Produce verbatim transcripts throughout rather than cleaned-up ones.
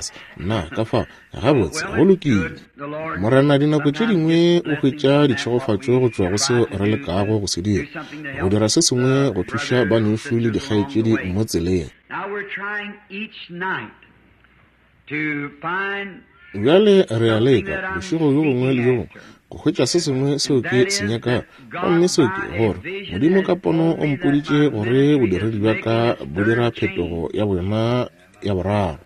lefase. Nna, ka fao, gabotse, go lokile. Morena dinako tše dingwe o hwetša ditšhegofatšo go tšwa go seo re lekago go se dira, go dira se sengwe go thuša banešu le dikgaetšedi mo tseleng. Bjale re a leka, bošego bjo bongwe le bjo bongwe, go hwetša se sengwe seo ke se nyakago. Gomme seo ke gore Modimo ka pono o mpoditše gore bodiredi bja ka bo dira phetogo ya boyona ya boraro.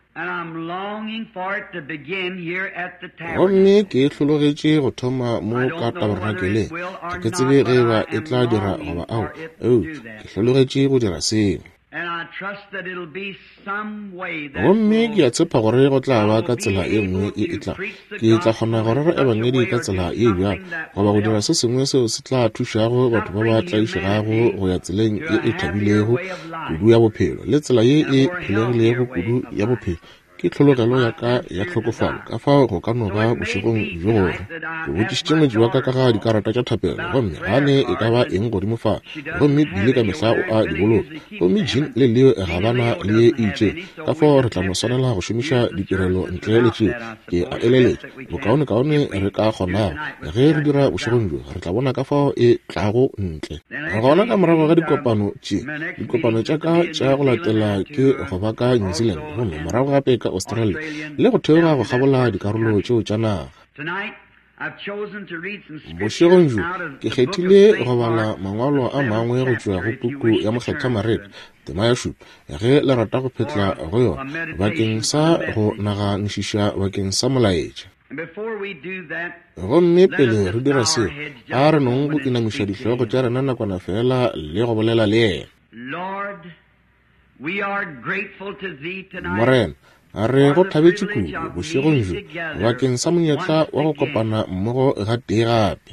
Gomme ke hlologetše go thoma mo ka tabernakeleng. Ga ke tsebe ge eba e tla dira goba ao, eupša ke hlologetše go dira seo. Gomme ke a tshepa gore go tla ba ka tsela e nngwe ye e tla. Ke tla kgona go rera ebangedi ka tsela ye bjalo, goba go dira se sengwe seo se tla thušago batho ba ba tlaišegago go ya tseleng ye e thabilego kudu ya bophelo, le tsela ye e phelegilego kudu ya bophelo. Ke tlhologelo ya ka ya tlhokofalo, ka fao go ka no ba bošegong bjo gore ke botšišitše ngwetši wa ka ka ga dikarata tša thapelo, gomme ga ne e ka ba eng godimo fa, gomme bile ka mehla o a di boloka, gomme Jean le Leo ga ba na le ye e itšeng, ka fao re tla no swanela go šomiša ditirelo ntle le tšeo. Ke a eleletša bokaonekaone re ka kgonago ge re dira bošegong bjo, re tla bona ka fao e tlago ntle. Gona ka morago ga dikopano tše, dikopano tša ka tša go latela ke go ba ka New Zealand, gomme morago gape ka Australia, le go theoga go kgabola dikarolo tšeo tša naga. Bošegong bjo ke kgethile go bala mangwalo a mangwe go tšwa go puku ya Mokgethwa Mareka, tema ya šupa, ge le rata go phetla go yona, bakeng sa go naganišiša bakeng sa molaetša. Gomme pele re dira seo, a re nong go inamiša dihlogo tša rena nakwana fela le go bolela le yena. Morena, re go thabetše kudu bošegong bjo bakeng sa monyetla wa go kopana mmogo ga tee gape.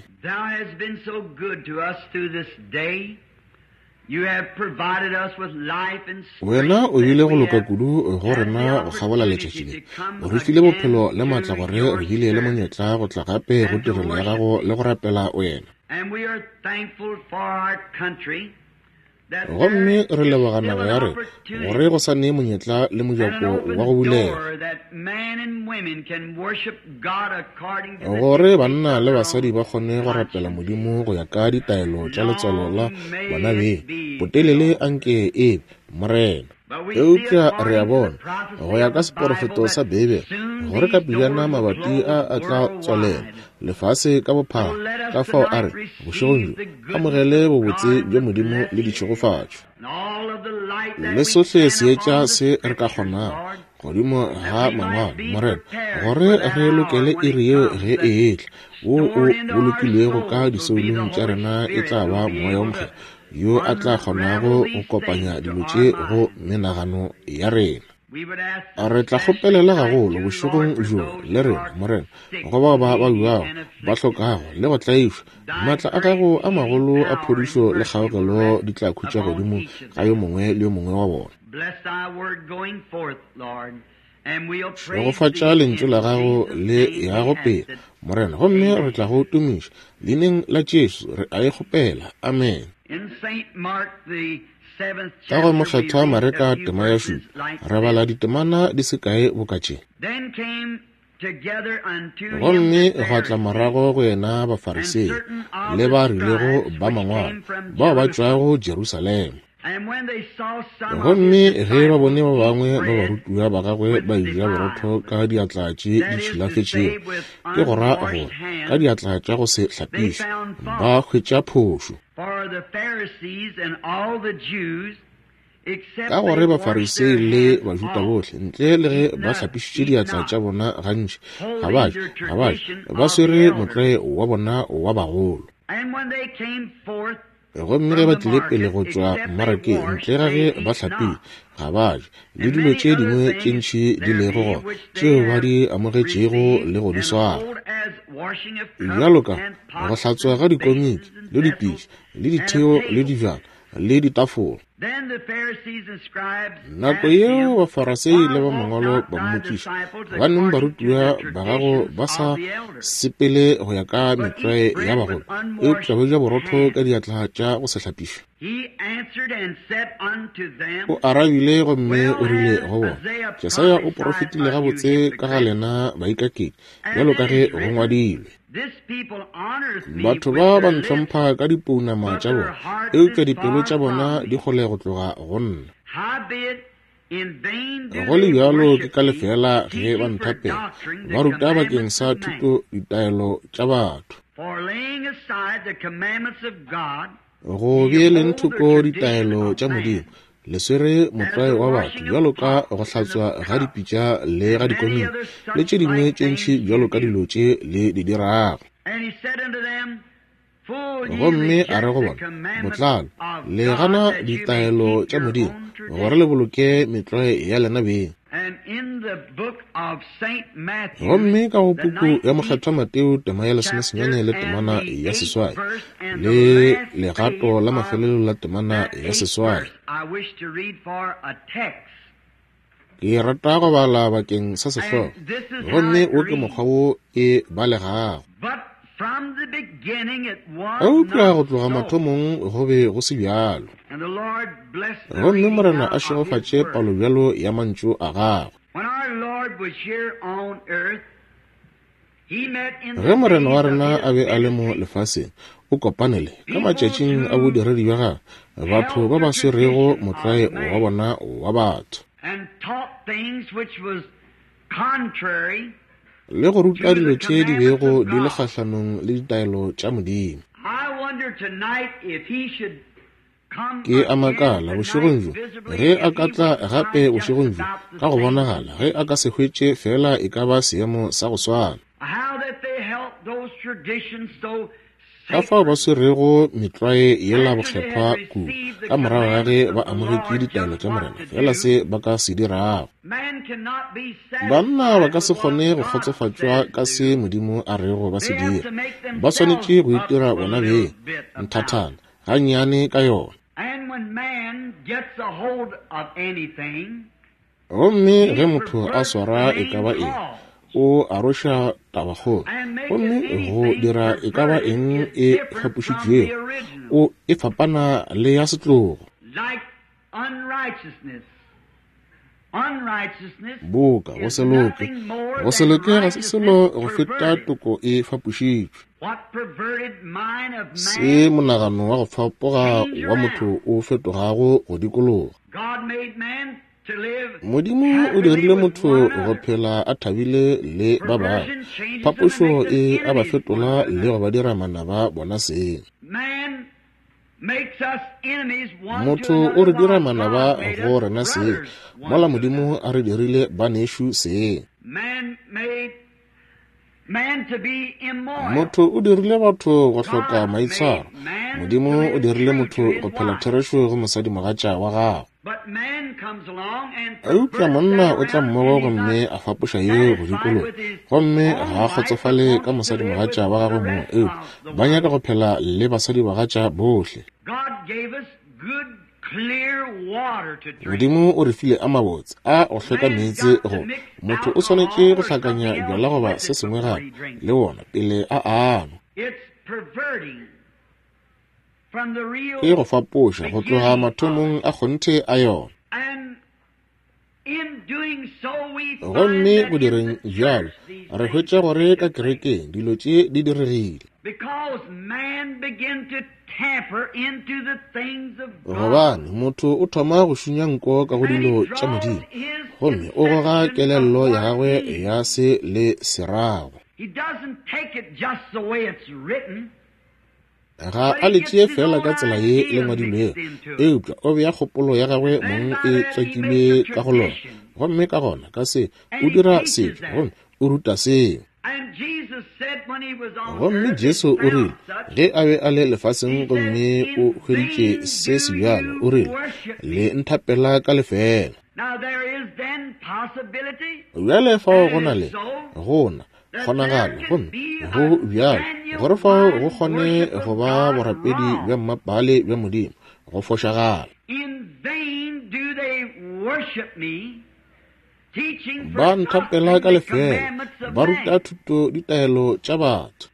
Wena o bile go loka kudu go rena go kgabola letšatši le. O re file bophelo le maatla gore re bile le monyetla go tla gape go tirelo ya gago le go rapela wena. Gomme re leboga naga ya rena gore go sa nee monyetla le mojako wa go bulega, gore banna le basadi ba kgone go rapela Modimo go ya ka ditaelo tša letswalo la bona beng. Botelele anke e be, Morena. Eupša re a bona, go ya ka seporofeto sa Beibele, gore ka pejana mabati a a tla tswalela lefase ka bophara. Ka fao a re bošegong bjo amogele bobotse bja Modimo le ditšhegofatšo le sohle seetša se re ka kgonago godimo ga mangwalo, Morena, gore re lokele iri yeo ge e etla, wo o bolokilwego ka disoulong tša rena e tla ba Moya wo Mokgethwa yo a tla kgonago go kopanya dilo tše go menagano ya rena. Re tla kgopelela gagolo bošegong bjo le rena, Morena, go bao ba babjago, ba hlokago le go tlaišwa. Maatla a gago a magolo a phodišo le kgaogelo di tla khutša godimo ga yo mongwe le yo mongwe wa bona. Šegofatša lentšu la gago le yago pele, Morena, gomme re tla go tumiša leineng la Jesu re a e kgopela. Amen. Ka go Mokgethwa Mareka tema ya šupa, re bala ditemana di se kae boka tše. Gomme gwa tla morago go yena Bafarisei le ba rilego ba mangwalo bao ba tšwago Jerusalema. Gomme ge ba bone ba bangwe ba barutiwa ba gagwe ba eja borotho ka diatla tše di tšhilafetšego, ke go ra gore ka diatla tša go se hlapišwe, ba hwetša phošo. Ka gore Bafarisei le Bajuda bohle, ntle le ge ba hlapišitše diatla tša bona gantši, ga ba je, ga ba je, ba swere motlwae wa bona wa bagolo. Gomme ge ba tlile pele go tšwa mmarakeng, ntle ga ge ba hlapile, ga ba je, le dilo tše dingwe tše ntši di lego gona tšeo ba di amogetšego le go di swara, bjalo ka go hlatswa ga dikomiki le dipitša le ditheo le dibjana le ditafola. Nako yeo Bafarasei le ba mangwalo ba mmotšiša, gobaneng barutiwa ba gago ba sa sepele go ya ka metlwae ya bagolo, eupša ba ja borotho ka diatla tša go se hlapišwe? O arabile gomme o rile go bona, Jesaya o porofetile gabotse ka ga lena baikaketši, bjalo ka ge go ngwadilwe, batho ba ba ntlhompha ka dipounama tša bona, eupša dipelo tša bona di kgole go tloga go nna. Go le bjalo ke ka lefeela ge ba nthapela, ba ruta bakeng sa thuto ditaelo tša batho. Go beeleng thoko ditaelo tša Modimo, le swere motlwae wa batho, bjalo ka go hlatswa ga dipitša le ga dikomiki le tše dingwe tše ntši bjalo ka dilo tše le di dirago. Gomme a re go bona, botlalo le gana ditaelo tša Modimo gore le boloke metlwae ya lena beng. Gomme ka go puku ya Mokgethwa Mateo tema ya lesomesenyane le temana ya seswai le legato la mafelelo la temana ya seswai, ke rata go bala bakeng sa sehlogo, gomme wo ke mokgwa wo e balegago. Eupša go tloga mathomong go be go se bjalo. Gomme Morena a šegofatše palo bjalo ya mantšu a gagwe. Ge Morena wa rena a be a le mo lefaseng, o kopanele ka matšatšing a bodiredi bja gagwe batho ba ba swerego motlwae wa bona wa batho le go ruta dilo tše di bego di le kgahlanong le ditaelo tša Modimo. Ke a makala bošegong bjo ge a ka tla gape bošegong bjo ka go bonagala ge a ka se hwetše fela e ka ba seemo sa go swana. Ka fao ba swerego metlwae yela bokgethwa kudu ka morago ga ge ba amogetše ditaelo tša Morena, fela se ba ka se dirago. Banna ba ka se kgone go kgotsofatšwa ka se Modimo a rego ba se dira. Ba swanetše go itira bona beng nthathana gannyane ka yona. Gomme ge motho a swara e ka ba eng, o aroša tabakgolo, gomme go dira e ka ba eng e fapošitšwego, o e fapana le ya setlogo. Boka go se loke, go se loke ga se selo go feta toko e fapošitšwe. Se monagano wa go fapoga wa motho o fetogago go dikologa. Modimo o dirile motho go phela a thabile le ba bangwe. Phapošo e a ba fetola le go ba dira manaba bona seng. Motho o re dira manaba go rena seng, mola Modimo a re dirile banešu seng. Motho o dirile batho go hloka maitshwaro. Modimo o dirile motho go phela therešo go mosadimogatša wa gagwe. Eupša monna o tla mmogo gomme a fapoša yeo go dikologa, gomme ga a kgotsofale ka mosadimogatša wa gagwe mong, eupša ba nyaka go phela le basadibagatša bohle. Modimo o re file a mabotse a go hlweka meetse go motho o swanetše go hlakanya bjala goba se sengwe gape le wona pele a anwa. Ke go fapoša go tloga mathomong a kgonthe a yona. Gomme go direng bjalo re hwetša gore ka kerekeng dilo tše di diregile. Gobane motho o thoma go šunya nko ka go dilo tša Modimo, gomme o goga kelello ya gagwe ya se le serago. Ga a le tšee fela ka tsela ye le ngwadilwego, eupša o bea kgopolo ya gagwe mong e tswakilwe ka go lona, gomme ka gona ka se o dira setšo gomme o ruta seo. Gomme Jesu o rile ge a be a le lefaseng gomme o hweditše se se bjalo, o rile le nthapela ka lefela. Bjale fao go na le gona kgonagalo, gomme go bjalo gore fao go kgone go ba borapedi bja mmapale bja Modimo go fošagala. Ba nthapela ka lefela, ba ruta thuto ditaelo tša batho.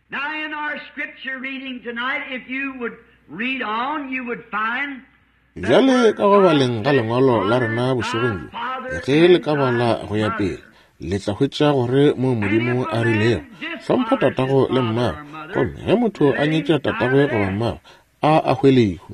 Bjale ka go baleng ga lengwalo la rena bošegong bjo, ge le ka bala go ya pele, le tla hwetša gore mo Modimo a rilego hlompha tatago le mmago, gomme ge motho a nyetša tatagwe goba mmago a a hwe lehu.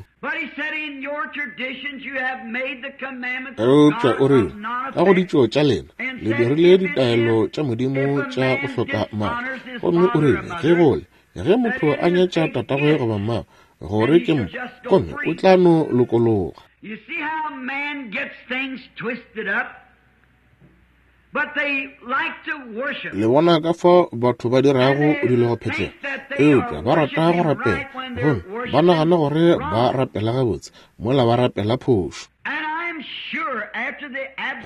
Eupša o rile ka go ditšo tša lena le dirile ditaelo tša Modimo tša go hloka maatla, gomme o rile ge gole ge motho a nyetša tatagwe goba mmago gore ke mpo, gomme o tla no lokologa. Le bona ka fao batho ba dirago dilo go phetlela, eupša ba rata go rapela, gomme ba nagana gore ba rapela gabotse mola ba rapela phošo.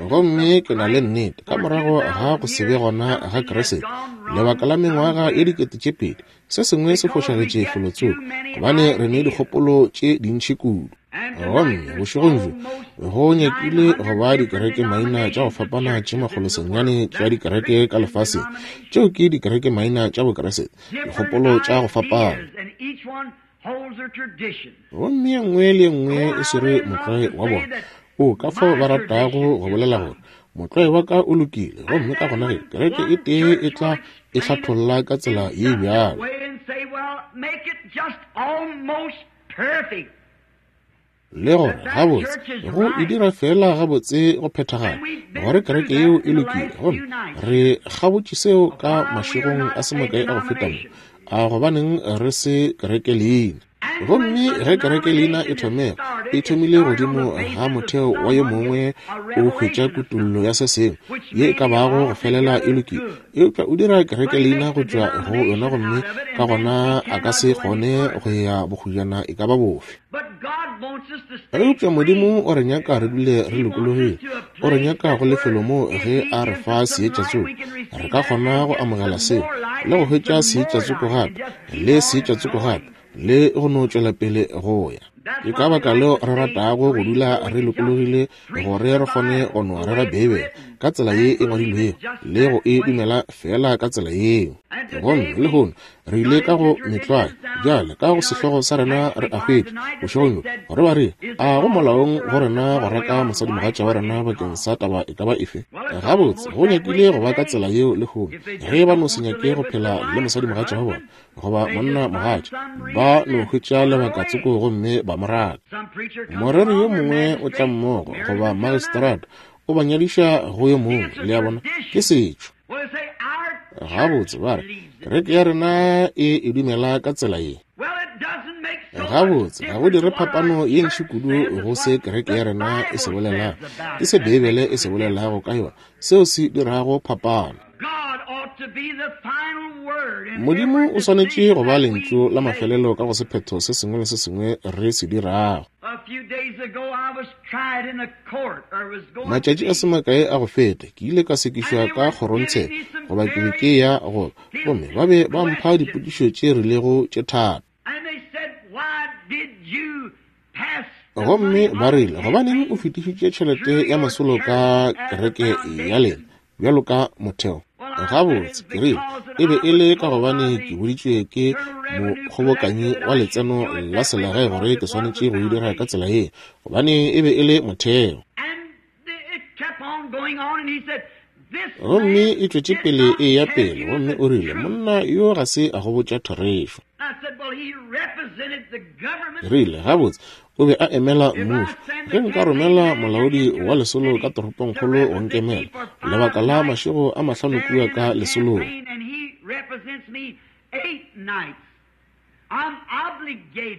Gomme ke na le nnete, ka morago ga go se be gona ga Kriste lebaka la mengwaga ye dikete tše pedi, se sengwe se fošagetše felotsoko, gobane re ne dikgopolo tše dintši kudu. Gomme bošegong bjo go nyakile go ba dikereke maina tša go fapana tše makgolo senyane tša dikereke ka lefaseng. Tšeo ke dikereke maina tša Bokriste, dikgopolo tša go fapana. Gomme ye nngwe le ye nngwe e swere motlwae wa bona. O ka fao ba ratago go bolela gore motlwae wa ka o lokile, gomme ka gona ge kereke e tee e tla e hlatholla ka tsela ye bjalo. Le gore gabotse go e dira fela gabotse go phethagala gore kereke yeo e lokile, gomme re gabotše seo ka mašegong a se makae a go feta mo. A gobaneng re se kereke leina? Gomme ge kereke leina e thomega, e thomile godimo ga motheo wa yo mongwe o hwetša kutollo ya se sengwe ye e ka bago go felela e lokile, eupša o dira kereke leina go tšwa go yona, gomme ka gona a ka se kgone go ya bokgojana e ka ba bofe. Eupša Modimo o re nyaka re dule re lokologile. O re nyaka go lefelo moo ge a re fa seetša tsoko, re ka kgona go amogela seo le go hwetša seetša tsoko gape le seetša tsoko gape le go no tšwela pele go ya. Ke ka baka leo re ratago go dula re lokologile, gore re kgone go no rera Beibele ka tsela ye e ngwadilwego le go e dumela fela ka tsela yeo. Gomme lehono re ile ka go metlwae bjale ka go sehlogo sa rena re a hwetša bošegong bjo gore ba re a go molaong go rena go reka mosadimogatša wa rena bakeng sa taba e ka ba efe. Gabotse go nyakile go ba ka tsela yeo lehono, ge ba no se nyake go phela le mosadimogatša wa bona goba monna mogatša, ba no hwetša lebaka tsoko gomme ba mo raka. Moreri yo mongwe o tla mmogo goba magistrata o ba nyadiša go yo mongwe, le a bona, ke setšo. Gabotse ba re kereke ya rena e e dumela ka tsela ye. Gabotse ga go dire phapano ye ntši kudu go se kereke ya rena e se bolelago, ke se Beibele e se bolelago ka yona seo se dirago phapano. Modimo o swanetše go ba lentšu la mafelelo ka go sephetho se sengwe le se sengwe re se dirago. Matšatši a se makae a go feta ke ile ka sekišwa ka kgorontsheko, goba ke be ke ya go, gomme ba be ba mpha dipotšišo tše rilego tše thata. Gomme ba rile, gobaneng o fetišitše tšhelete ya masolo ka kereke ya lena bjalo ka motheo? Gabotse ke rile, e be e le ka gobane ke boditšwe ke mokgobokanyi wa letseno la selegae gore ke swanetše go e dira ka tsela ye, gobane e be e le motheo. Gomme e tšwetše pele e ya pele, gomme o rile, monna yo ga se a go botša therešo. Rile, gabotse o be a emela mmušo. Ge nka romela molaodi wa lesolo ka toropongkgolo go nkemela lebaka la mašego a mahlano kua ka lesolong,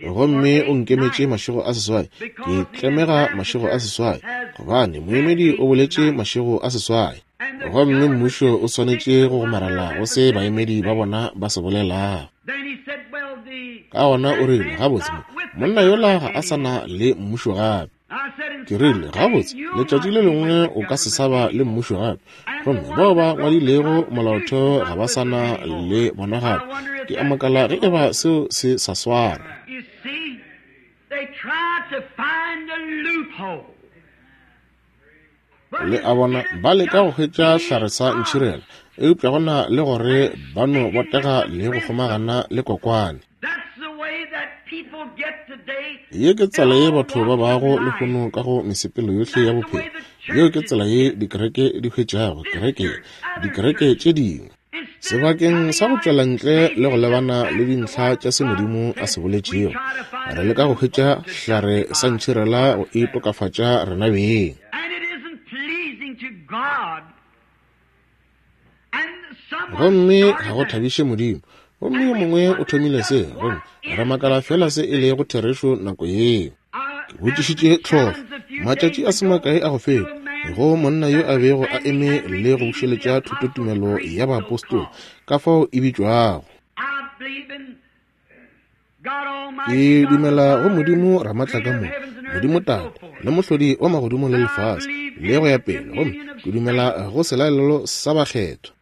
gomme o nkemetše mašego a seswai, ke tlemega mašego a seswai, gobane moemedi o boletše mašego a seswai. Gomme mmušo o swanetše go gomarela go se baemedi ba bona ba se bolelago. Ka gona o rile, gabotse monna yola ga a sa na le mmušo gape. Ke rile, gabotse letšatši le lengwe o ka se sa ba le mmušo gape, gomme bao ba ngwadilego molaotheo ga ba sa na le bona gape. Ke a makala ge e ba seo se sa swana. Le a bona, ba leka go hwetša hlare sa ntšhirela, eupša go na le gore ba no botega le go kgomagana le kokwane. Ye ke tsela ye batho ba bago lehono ka go mesepelo yohle ya bophelo. Yeo ke tsela ye dikereke di hwetšago kereke, dikereke tše dingwe. Sebakeng sa go tšwela ntle le go lebana le dintlha tša se Modimo a se boletšego, re leka go hwetša hlare sa ntšhirela go itokafatša rena beng. Gomme ga go thabiše Modimo. Gomme yo mongwe o thomile se, gomme re makala fela se e lego therešo nako yeo. Ke botšišitše tlhohlo matšatši a se makae a go feta go monna yo a bego a eme le go bušeletša thutotumelo ya baapostola, ka fao e bitšwago. Ke dumela go Modimo Ramatlakamoka, Modimo Tate, le Mohlodi wa magodimo le lefase, le go ya pele, gomme ke dumela go selalelo sa bakgethwa.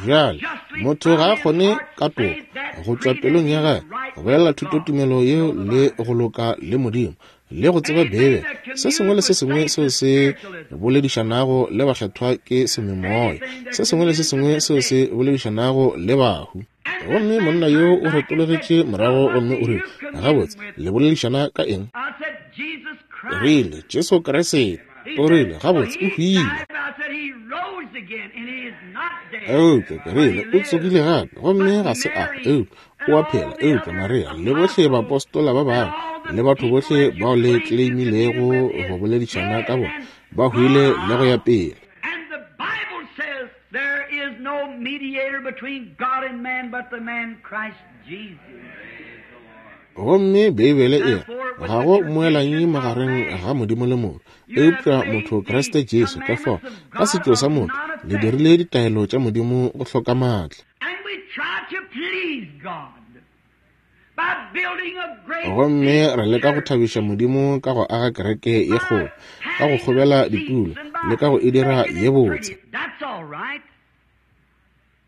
Bjale motho ga a kgone ka toka go tšwa pelong ya gagwe go bolela thutotumelo yeo le go loka le Modimo le go tseba Beibele. Se sengwe le se sengwe seo se boledišanago le bakgethwa ke sememoya, se sengwe le se sengwe seo se boledišanago le bahu. Gomme monna yo o retologetše morago gomme o rile, gabotse, le boledišana ka eng? Rile, Jesu Kriste. O rile, gabotse, o hwile. Eupša ke rile, o tsogile gape, gomme ga se a, eupša o a phela. Eupša Maria le bohle baapostola ba bangwe le batho bohle bao le claimilego go boledišana ka bona ba hwile le go ya pele. There is no mediator between God and man but the man Christ Jesus. Gomme Beibele e re, ga go mmoelanyi magareng ga Modimo le motho, eupša motho Kriste Jesu. Ka fao, ka setšo sa motho, le dirile ditaelo tša Modimo go hloka maatla. And we try to please God by building a great Gomme re leka go thabiša Modimo ka go aga kereke ye kgolo, ka go kgobela ditulo, le ka go e dira ye botse. That's all right.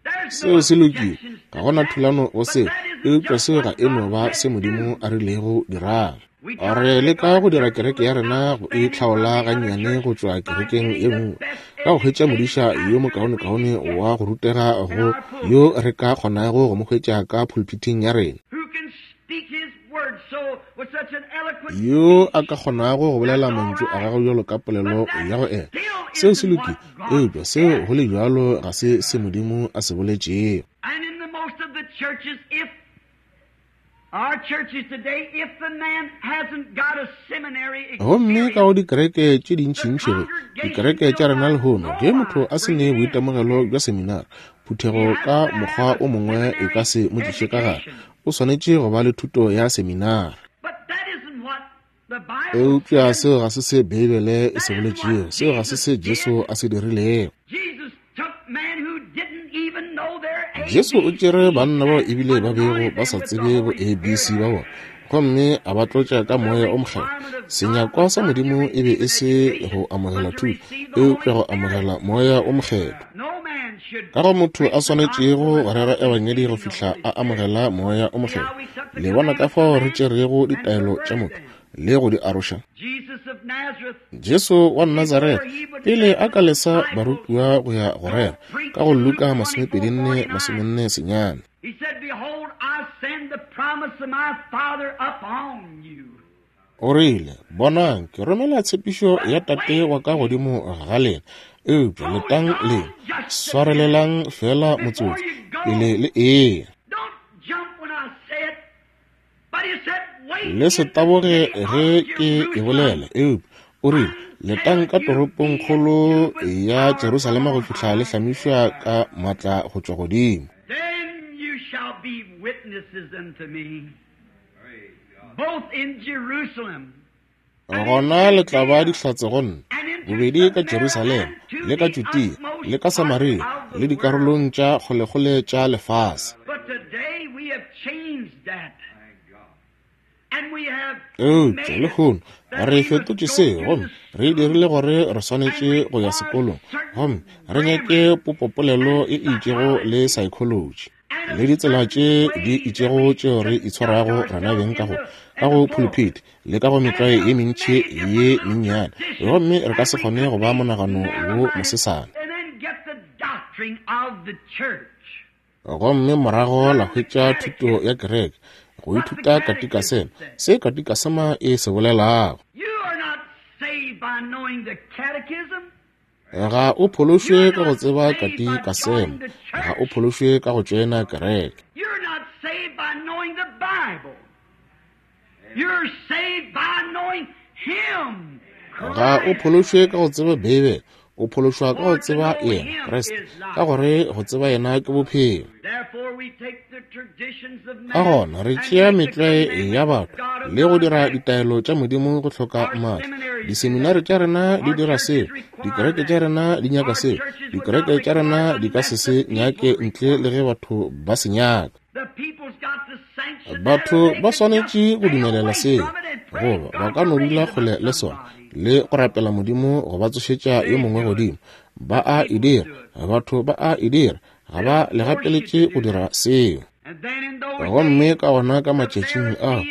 There's Seo no se lokile, objections ga to gona that, thulano go but seo, that isn't eupša just seo ga what e no God ba said se Modimo do. a rilego dirang. We try Re to make leka our go dira church kereke look ya rena go e outstanding from hlaola the other gannyane go church tšwa by kerekeng getting ye the nngwe, best ka go hwetša educated modiša yo pastor that we mokaonekaone can get wa go rutega in go our pulpit, yo re ka kgonago go mo hwetša ka pulpiting ya rena, who can speak his word so with such an eloquent yo a speech. ka kgonago go bolela That's all mantšu a right. gagwe bjalo ka But polelo that ya go ela. still Seo se isn't lokile, what God eupša seo said. go le bjalo ga se se Modimo a se boletšego. And in the most of the churches, if our churches today, if the man hasn't got a seminary Gomme ka go experience, dikereke tše the dintšintši ge congregation dikereke tša will rena by lehono, no ge motho wise a se bring ne it in. boitemogelo bja seminara, He phuthego has ka to mokgwa have a o mongwe e ka seminary se mo tliše ka gare. education. O swanetše go ba le thuto ya seminara. But that isn't what the Bible Eupša says. seo ga se se Beibele e se That isn't what boletšego, seo ga se Jesus se Jesu did. a se dirilego. Jesus took men who didn't even know their Jesu o tšere A B Cs banna bao and ebile ba bego anointed ba them sa with the tsebe bo Holy A B C Spirit. ba bona, gomme a ba tlotša ka The moya o mokgethwa. requirement of God Senyakwa was sa not to Modimo e be receive e an se education, go amogela but to thuto, receive the Holy eupša go Spirit. amogela moya o mokgethwa. No man should Ka go motho preach a the swanetšego gospel go rera without ebangedi go receiving the fihla Holy a Spirit. amogela moya o See mokgethwa. how we took the Le bona ka commandments of fao re man tšerego and ditaelo tša perverted motho them. le go di aroša. Jesus of Nazareth, Jesu wa Nazareth before he would pele send a the ka lesa disciples barutiwa go ya go go rera preach ka go in Luke Luka twenty-four masomepedi-nne forty-nine, masomenne senyane. he said, Behold, I send the promise of my Father upon you. O rile, bonang, ke romela tshepišo ya But Tate wait wa ka ye. godimo ga lena, eupša Hold letang on lena, just a minute swarelelang fela before motsotso you pele go. le eya. Don't jump when I say it. But he said, wait Le se in the taboge city of ge ke e bolela, Jerusalem eupša o rile, letang until ka you toropong be kgolo endued with ya power from Jerusalema go on fihla le high. hlamišwa ka maatla go tšwa godimo. Then you shall be witnesses unto me, both in Jerusalem and in Gona le tla ba Judea dihlatse go nna, and into bobedi ka Samaria Jerusalema and to le ka the Judea le utmost ka part Samaria of le the world. dikarolong tša kgolekgole tša lefase. But today we have changed that. And we have Eupša made it lehono that re we must fetotše go seo to gomme the re dirile school gore re and swanetše go ya require sekolong certain gomme re nyake grammar popopolelo and e itšego le psychology psychology and le a ditsela certain tše di way that itšego we tšeo re conduct itshwarago rena ourselves beng ka in go the ka in go the pulpit. pulpit le ka go And metlwae ye have mentši many different ye little mennyane, traditions, gomme re ka and se we kgone could go ba be monagano wo narrow-minded mosesane. and then get the doctrine of the church. Gomme morago la Learn the hwetša thuto catechism. ya kereke go What the ithuta catechism katikasema, says. se katikasema e se bolelago. You are not saved by knowing the catechism. Ga o phološwe You're ka go not tseba saved by katikasema, joining the ga o church. phološwe ka go tšoena kereke. You're not saved by knowing the Bible. You're saved by knowing Him, Ga o Christ. phološwe ka go tseba Beibele, o phološwa ka go For to tseba know yena Him Kriste, is ka life. gore go tseba yena ke bophelo. Therefore, Ka gona re tšea metlwae ya batho le go dira ditaelo tša Modimo go hloka maatla. Diseminari tša rena di dira seo, dikereke tša rena di nyaka seo, dikereke tša rena di ka se se nyake ntle le ge batho ba se nyaka. Batho ba swanetše go dumelela seo, goba ba ka no dula kgole le sona le go rapela Modimo go ba tsošetša yo mongwe godimo. Ba a e dira, batho ba a e dira, ga ba le gapeletše go dira seo. Gomme ka gona ka matšatšing ao,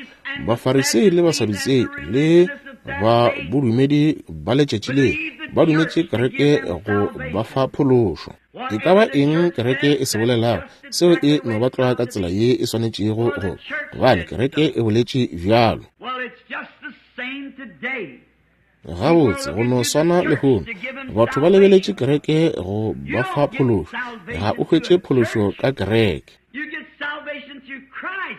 Bafarisei le Basadutsei le ba bodumedi ba letšatši le ba dumetše kereke go ba fa phološo. E ka ba eng kereke e se bolelago, seo e no ba tlwa ka tsela ye e swanetšego go, gobane kereke e boletše bjalo. Gabotse go no swana lehono, batho ba lebeletše kereke go ba fa phološo. Ga o hwetše phološo ka kereke.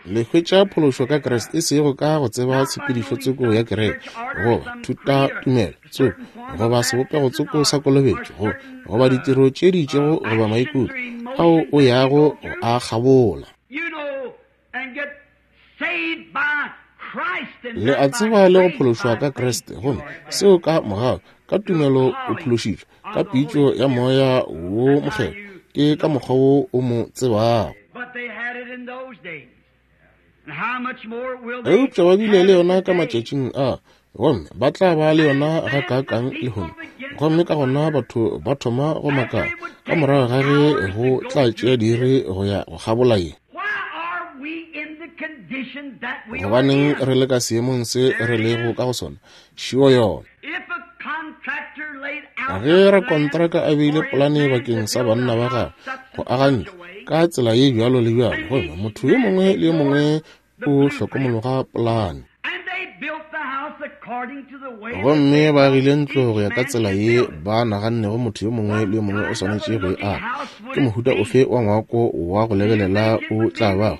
Le hwetša phološo ka Kriste, e sego ka go tseba tshepedišo tsoko ya kereke, goba thutatumelo tsoko, goba sebopego tsoko sa kolobetšo, goba goba ditiro tše di itšego, goba maikutlo ao o yago go a kgabola. Le a tseba le go phološwa ka Kriste, gomme seo ka mogau, ka tumelo o phološitšwe, ka pitšo ya Moya wo Mokgethwa, ke ka mokgwa wo o mo tsebago. Eupša ba bile le yona ka matšatšing a, gomme ba tla ba le yona ga kaakang lehono. Gomme ka gona batho ba thoma go makala ka morago ga ge go tla tšea diiri go ya go kgabola ye. Gobaneng re le ka seemong se re lego ka go sona? Šio yona. Ge rakontraka a beile polane bakeng sa banna ba gagwe go aga ntlo ka tsela ye bjalo le bjalo, gomme motho yo mongwe le yo mongwe o hlokomologa polane, gomme ba agile ntlo go ya ka tsela ye ba nagannego motho yo mongwe le yo mongwe o swanetše go e aga, ke mohuta ofe wa ngwako wa go lebelela o tla bago?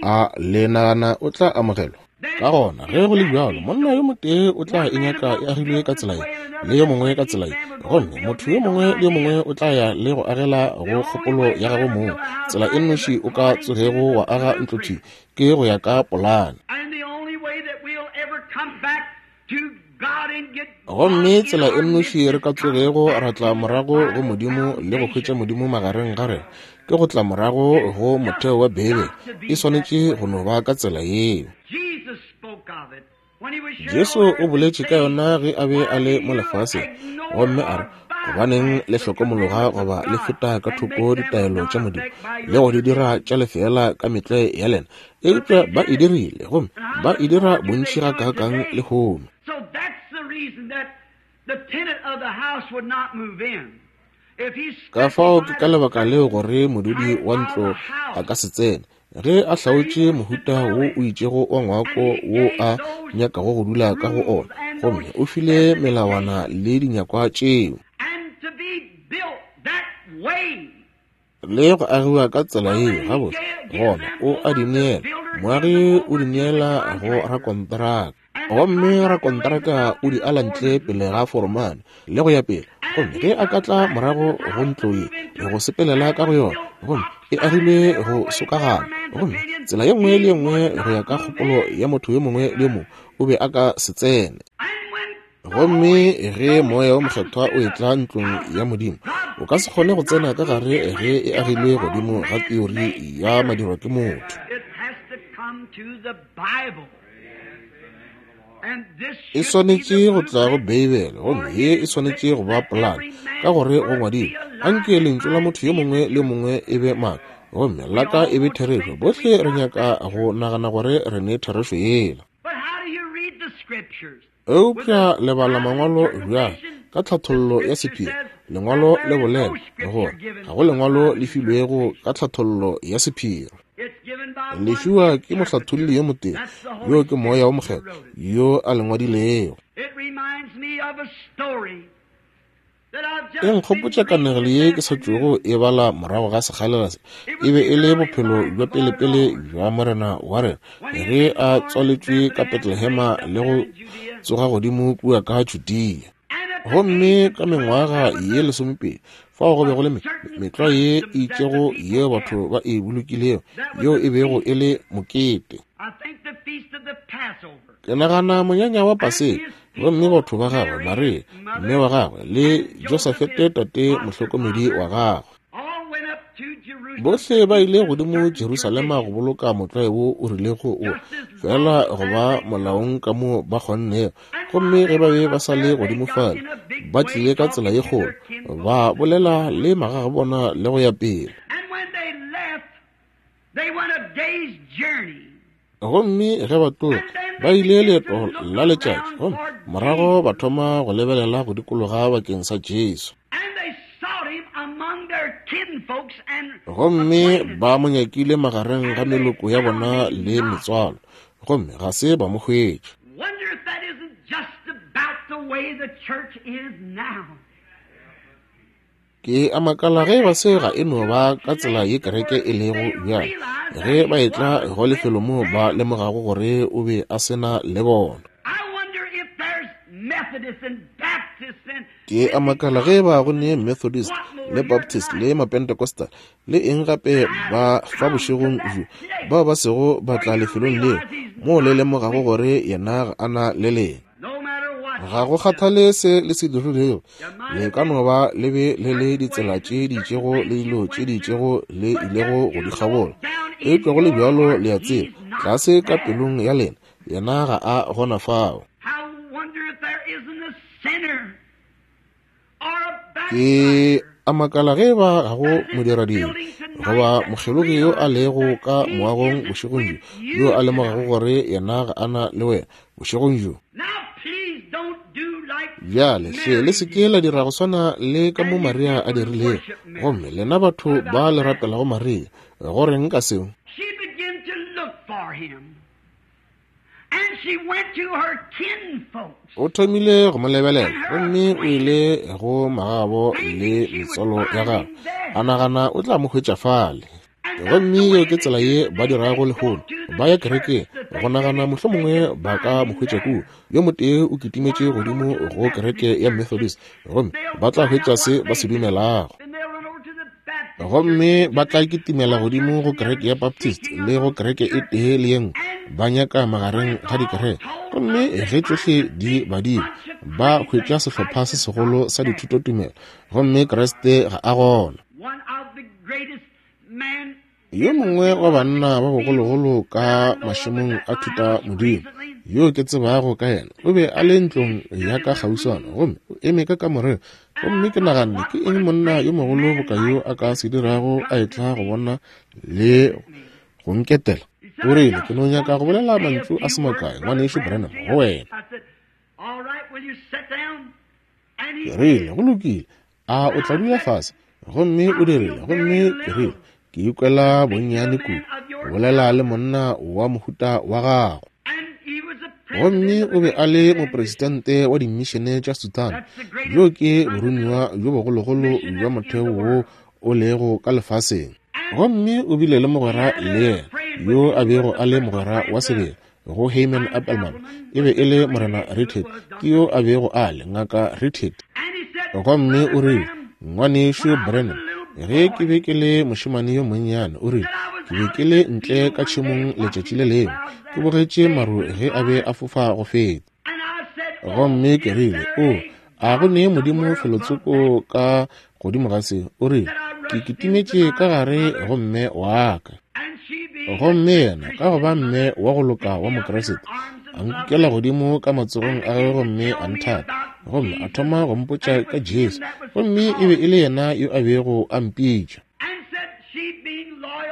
A le nagana o tla amogelwa? Ka gona ge go le bjalo, monna yo motee o tla e nyaka e agilwe ka tsela ye, le yo mongwe ka tsela ye, gomme motho yo mongwe le yo mongwe o tla ya le go agela go kgopolo ya gagwe mong. Tsela e nnoši o ka tsogego wa aga ntlo thwi ke go ya ka polane. Gomme tsela e nnoši re ka tsogego ra tla morago go Modimo le go hwetša Modimo magareng ga rena ke go tla morago go motheo wa Beibele. E swanetše go no ba ka tsela yeo. Jesu o boletše ka yona ge a be a le mo lefaseng, gomme a re, gobaneng le hlokomologa goba le feta ka thoko ditaelo tša Modimo le go di dira tša lefeela ka metlwae ya lena? Eupša ba e dirile, gomme ba e dira bontši gakaakang lehono. Ka fao ke ka lebaka leo gore modudi wa ntlo a ka se tsene ge a hlaotše mohuta wo o itšego wa ngwako wo a nyakago go dula ka go ona, gomme o file melawana le dinyakwa tšeo le go agiwa ka tsela yeo. Gabotse gona o a di neela, moagi o di neela go rakontraka, gomme rakontraka o di ala ntle pele ga foromane le go ya pele. Gomme ge a ka tla morago go ntlo ye go sepelela ka go yona, gomme e agilwe go sokagana, gomme tsela ye nngwe le ye nngwe go ya ka kgopolo ya motho yo mongwe le yo mongwe, o be a ka se tsene. Gomme ge Moya wo Mokgethwa o etla ntlong ya Modimo, o ka se kgone go tsena ka gare ge e agilwe godimo ga teori ya madirwa ke motho. E swanetše go tla go Beibele, gomme ye e swanetše go ba polane, ka gore go ngwadilwe, anke lentšu la motho yo mongwe le yo mongwe e be maaka, gomme la ka e be therešo. Bohle re nyaka go nagana gore re ne therešo yela. Eupša le bala mangwalo bjang ka tlhathollo ya sephiri? Lengwalo le bolela gore ga go lengwalo le filwego ka tlhathollo ya sephiri. Le fiwa ke mohlatholli yo motee, yo ke Moya wo Mokgethwa yo a le ngwadilego. E nkgopotša kanegelo ye ke sa tšwago e bala morago ga sekgalela se. E be e le bophelo bja pelepele bja Morena wa rena ge a tswaletšwe ka Betlehema le go tsoga godimo kua ka Judea. Gomme ka mengwaga ye lesomepedi Fao go be go le metlwa ye e itšego yeo batho ba e bolokilego, yeo e bego e le mokete. Ke nagana monyanya wa Paseka, gomme batho ba gagwe, Maria, mme wa gagwe, le Josafete tate mohlokomedi wa gagwe, bohle ba ile godimo Jerusalema go boloka motlwae wo o rilego o fela go ba molaong ka mo ba kgonnego. Gomme ge ba be ba sa le godimo fale, ba tlile ka tsela ye kgolo, ba bolela le magagabona le go ya pele. Gomme ge ba tloga, ba ile leeto la letšatši, gomme morago ba thoma go lebelela go dikologa bakeng sa Jesu. Gomme ba mo nyakile magareng ga meloko ya bona le metswalo, gomme ga se ba mo hwetša. Ke a makala ge ba se ga e no ba ka tsela ye kereke e lego bjale, ge ba etla go lefelo moo ba lemogago gore o be a se na le bona. Ke a makala ge ba go ne Methodist le Baptist le Mapentecostal le eng gape ba fa bošegong bjo, bao ba sego ba tla lefelong leo moo le lemogago gore yena ga a na le lena. Ga go kgathale se le se dirilego, le ka no ba le be le le ditsela tše di itšego le dilo tše di itšego le ilego go di kgabola, eupša go le bjalo le a tseba, tlase ka pelong ya lena, yena ga a gona fao. Ke a makala ge ba ga go modiradibe goba mokgelogi yo a lego ka moagong bošegong bjo, yo a lemogago gore yena ga a na le wena bošegong bjo. Bjale hle le se ke la dira go swana le ka mo Maria a dirilego, gomme lena batho ba le rapelago Maria, go reng ka seo? O thomile go mo lebelela, gomme o ile go magabo le metswalo ya gagwe, a nagana o tla mo hwetša fale. Gomme yeo ke tsela ye ba dirago lehono, ba ya kerekeng go nagana mohlomongwe ba ka mo hwetša kua. Yo motee o kitimetše godimo go kereke ya Methodist, gomme ba tla hwetša se ba se dumelago. Gomme ba tla kitimela godimo go kereke ya Baptist le go kereke e tee le ye nngwe, ba nyaka magareng ga dikereke. Gomme ge tšohle di badilwe, ba hwetša sehlopha se segolo sa dithutotumelo, gomme Kriste ga a gona. Yo mongwe wa banna ba bogologolo ka mašemong a thuta modimo yo ke tsebago ka yena, o be a le ntlong ya ka kgauswana, gomme o eme ka kamoreng. Gomme ke naganne, ke eng monna yo mogolo boka yo a ka se dirago a etla go bona le go nketela? O rile, ke no nyaka go bolela mantšu a se makae, ngwanešu Branham, go wena. Ke rile, go lokile, a o tla dula fase? Gomme o dirile, gomme ke rile, ke ikwela bonnyane kudu go bolela le monna wa mohuta wa gago. Gomme o be a le mopresidente wa dimišene tša Sudan, yo ke boromiwa bjo bogologolo bja motheo wo o lego ka lefaseng. Gomme o bile le mogwera le yena, yo a bego a le mogwera wa sebele go Hyman Appelman, e be e le morena Richard, ke yo a bego a le ngaka Richard. Gomme o rile, ngwanešu Branham, ge ke be ke le mošemane yo monnyane, o rile, ke be ke le ntle ka tšhemong letšatši le lengwe, ke bogetše maru ge a be a fofa go feta. Gomme ke rile, o, a go ne Modimo felotsoko ka godimo ga se? O rile, ke kitimetše ka gare go mme wa ka. Gomme yena ka go ba mme wa go loka wa Mokriste, a nkukela godimo ka matsogong a gagwe gomme a nthata, gomme a thoma go mpotša ka Jesu, gomme e be e le yena yo a bego a mpitša.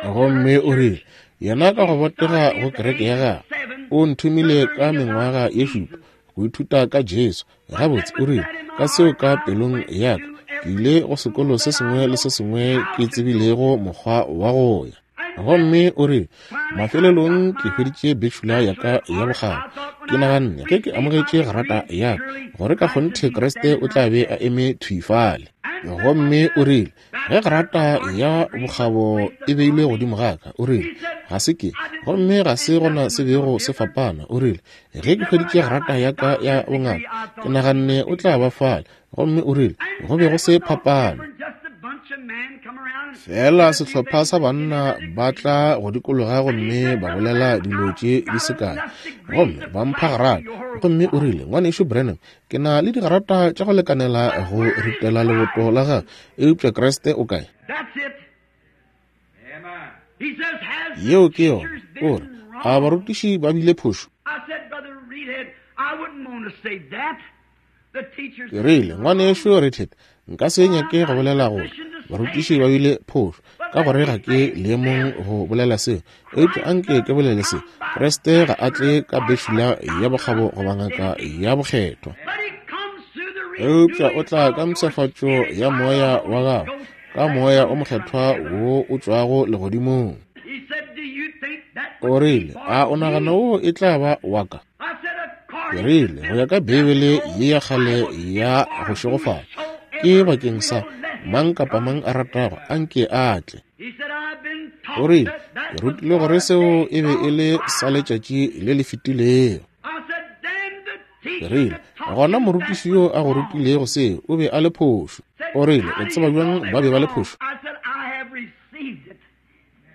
Gomme o rile, yena ka go botega go kereke ya gagwe, o nthomile ka mengwaga ye šupa go ithuta ka Jesu. Gabotse, o rile, ka seo ka pelong ya ka, ke ile go sekolo se sengwe le se sengwe ke tsebilego mokgwa wa go ya. Gomme o rile, mafelelong ke hweditše bachelor ya ka ya bokgabo. Ke naganne ge ke amogetše grata ya ka, gore ka kgonthe Kriste o tla be a eme thwi fale. Gomme o rile, ge grata ya bokgabo e beilwe godimo ga ka, o rile, ga se ke, gomme ga se gona se bego se fapana. O rile, ge ke hweditše grata ya ka ya bongaka, ke naganne o tla ba fale. Gomme o rile, go be go se phapano. Fela sehlopha sa banna ba tla go dikologa gomme ba bolela dilo tše di se kae, gomme ba mpha garata. Gomme o rile, Ngwanešu Branham, ke na le digarata tša go lekanela go ritela leboto la gago, eupša Kriste o kae? Yeo ke yona. O re, a barutiši ba bile phošo? Ke rile, Ngwanešu Reidhead, nka se nyake go bolela gore barutiši ba bile phošo, ka gore ga ke leemong go bolela seo, eupša anke ke bolele se: Kriste ga a tle ka bešula ya bokgabo goba ngaka ya bokgethwa, eupša o tla ka mpshafatšo ya moya wa gago, ka moya o mokgethwa wo o tšwago legodimong. O rile, a o nagana wo e tla ba wa ka? Ke rile, go ya ka Beibele ye ya kgale ya go šegofala, ke bakeng sa mang kapa mang a ratago, anke a tle. O rile, ke rutile gore seo e be e le sa letšatši le le fetilego. Ke rile, gona morutiši yo a go rutilego seo o be a le phošo. O rile, o tseba bjang ba be ba le phošo?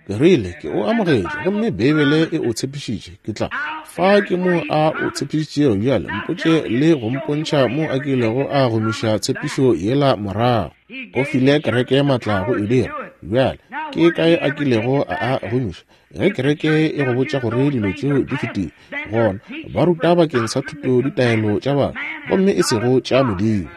Ke rile, ke o amogetše, gomme Beibele e o tshepišitše. Ke tla fa ke mo a o tshepišitšego. Bjale mpotše le go mpontšha mo a kilego a gomiša tshepišo yela morago. O file kereke maatla go e dira. Bjale ke kae a kilego a a gomiša? Ge kereke e go botša gore dilo tšeo di fetile, gona ba ruta bakeng sa thuto ditaelo tša batho, gomme e sego tša Modimo.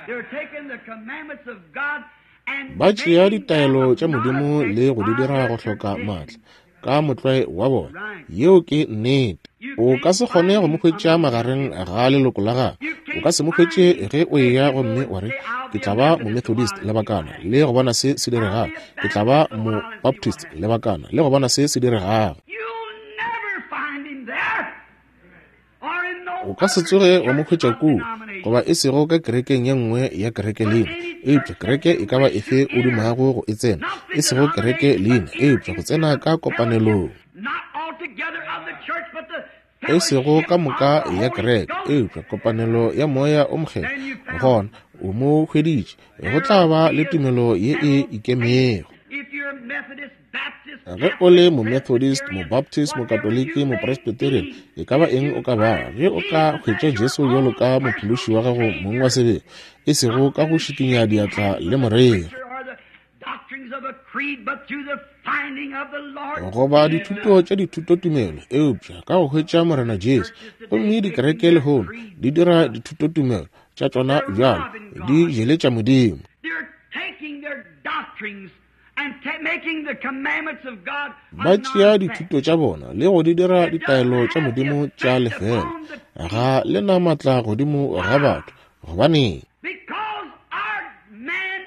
Ba tšea ditaelo tša Modimo le go di dira go hloka maatla ka motlwae wa bona. Yeo ke nnete. O ka se kgone go mo hwetša magareng ga leloko la gago. O ka se mo hwetše ge o eya gomme wa re, ke tla ba mo-Methodist lebakana le go bona se se diregago, ke tla ba mo-Baptist lebakana le go bona se se diregago. O ka se tsoge wa mo hwetša kua, goba e sego ka kerekeng ye nngwe ya kereke leina, eupša kereke e ka ba efe o dumago go e tsena, e sego kereke leina, eupša go tsena ka kopanelong. E sego ka moka ya kereke, eupša kopanelo ya moya o mokgethwa, gona o mo hweditše. Go tla ba le tumelo ye e ikemego. Ge o le mo-Methodist, mo-Baptist, mo-Katoliki, mo-Presbyterian, e ka ba eng o ka ba, ge o ka hwetša Jesu bjalo ka mophološi wa gago mong wa sebele, e sego ka go šikinya diatla le moreri, goba dithuto tša dithutotumelo, eupša ka go hwetša Morena Jesu. Gomme dikereke lehono di dira dithutotumelo tša tšona bjalo, di jeletša Modimo. Ba tšea dithuto tša bona le go di dira ditaelo tša Modimo tša lefela. Ga le na maatla godimo ga batho. Gobaneng?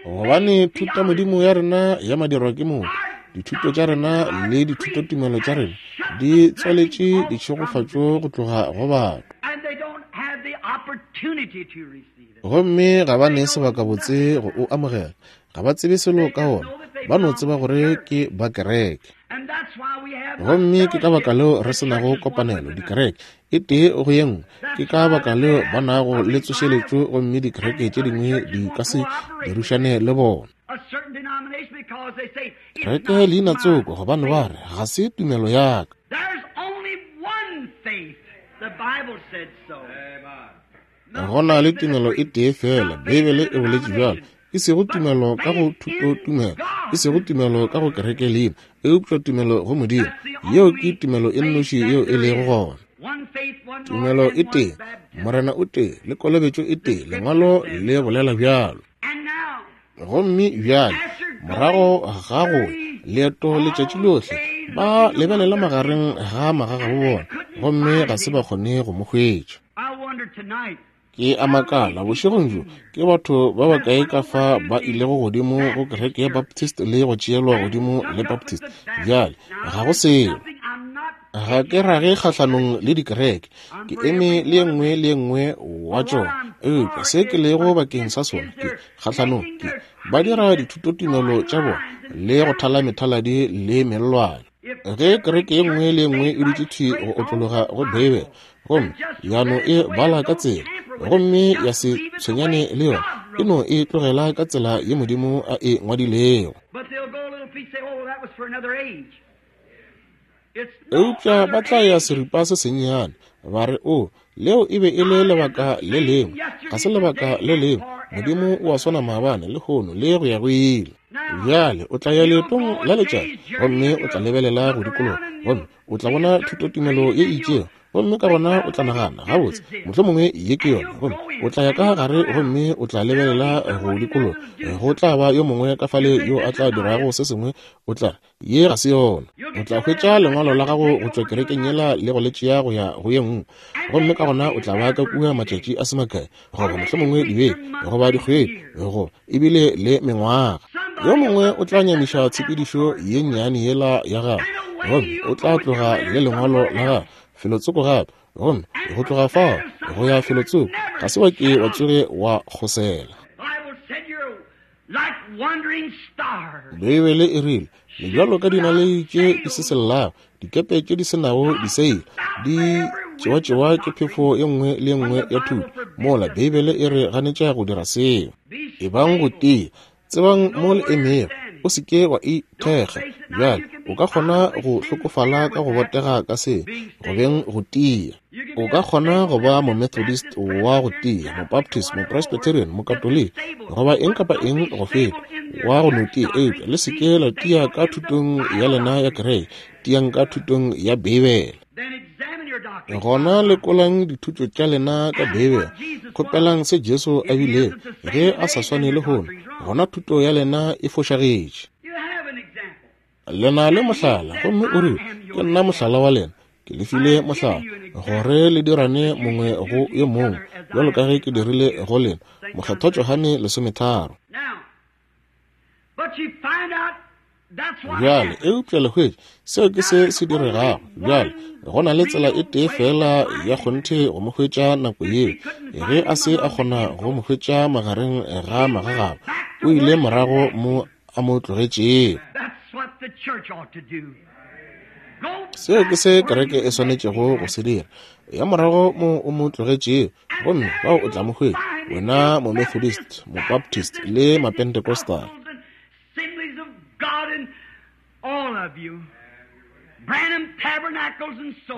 Gobane thutamodimo ya rena ya madirwa ke motho, dithuto tša rena le dithutotumelo tša rena di tswaletše ditšhegofatšo go tloga go batho, gomme ga ba ne sebakabotse go o amogela. Ga ba tsebe selo ka ona, ba no tseba gore ke ba kereke. Gomme ke ka baka leo re se nago kopanelo dikereke e tee go ye nngwe. Ke ka baka leo ba nago le tsošeletšo, gomme dikereke tše dingwe di ka se dirišane le bona. Kereke leina tsoko, gobane ba re ga se tumelo ya ka. Go na le tumelo e tee fela, Beibele e boletše bjalo. E sego tumelo ka go thutotumelo, e sego tumelo ka go kereke leina, eupša tumelo go Modimo. Yeo ke tumelo e nnoši yeo e lego gona. Tumelo e tee, Morena o tee, le kolobetšo e tee, lengwalo le bolela bjalo. Gomme bjale, morago ga go leeto letšatši lohle, ba lebelela magareng ga magagabo bona, gomme ga se ba kgone go mo hwetša. Ke a makala bošegong bjo ke batho ba bakae ka fa ba ilego godimo go kereke ya Baptist le go tšeelwa godimo le Baptist. Bjale ga go selo. Ga ke rage kgahlanong le dikereke, ke eme le ye nngwe le ye nngwe wa tšona, eupša se ke lego bakeng sa sona ke kgahlanong ke ba dira dithutotumelo tša bona le go thala methaladi le mellwane. Ge kereke ye nngwe le ye nngwe e dutše thwi go otlologa go Beibele, gomme ya no e bala ka tsela, gomme ya se tshwenyane le yona, E no e tlogela ka tsela ye Modimo a e ngwadilego. Eupša ba tla ya seripa se sennyane, ba re, o, leo e be e le lebaka le lengwe. Ga se lebaka le lengwe. Modimo o a swana maabane, lehono, le go ya go ile. Bjale o tla ya leetong la letšatši, gomme o tla lebelela go dikologa, gomme o tla bona thutotumelo ye itšego, gomme ka gona o tla nagana, gabotse, mohlomongwe ye ke yona, gomme o tla ya ka gare gomme o tla lebelela go dikologa, go tla ba yo mongwe ka fale yo a tla dirago se sengwe, o tla re, ye ga se yona. O tla hwetša lengwalo la gago go tšwa kerekeng yela le go le tšea go ya go ye nngwe, gomme ka gona o tla ba ka kua matšatši a se makae, goba mohlomongwe dibeke, goba dikgwedi, goba ebile le mengwaga. Yo mongwe o tla nyamiša tshepedišo ye nnyane yela ya gago, gomme o tla tloga le lengwalo la gago felotsoko gape, gomme go tloga fao go ya felotsoko ga se wa ke wa tsoge wa kgosela. Beibele e rile, le bjalo ka dinaledi tše di se sellago, dikepe tše di se nago diseile, di tšewa-tšewa ke phefo ye nngwe le ye nngwe ya thuto. Mola Beibele e re ganetša go dira seo. Ebang go tia, tsebang mo le emego, o se ke wa ithekga. Bjale o ka kgona go hlokofala ka go botega ka se, go beng go tia. O ka kgona go ba Momethodist wa go tia, Mobaptist, Mopresbyterian, Mokatoliki, goba eng kapa eng go feta, wa go no tia. Eupša le se ke la tia ka thutong ya lena ya kereke, tiang ka thutong ya Beibele. Gona lekolang dithuto tša lena ka Beibele, kgopelang se Jesu a bilego, ge a sa swane lehono, gona thuto ya lena e fošagetše. Le na le mohlala, gomme o rile, ke nna mohlala wa lena, ke le file mohlala, gore le dirane mongwe go yo mongwe, bjalo ka ge ke dirile go lena. Mokgethwa Johane lesometharo. Bjale, eupša le hwetše, seo ke se se diregago. Bjale, go na le tsela e tee fela ya kgonthe go mo hwetša nako yeo. Ge a se a kgona go mo hwetša magareng ga magagabo, o ile morago mo a mo tlogetšego. Seo ke se kereke e swanetšego go se dira. Ya morago mo o mo tlogetšego, gomme bao o tla mo hwetša, wena Momethodist, Mobaptist le Mapentecostal.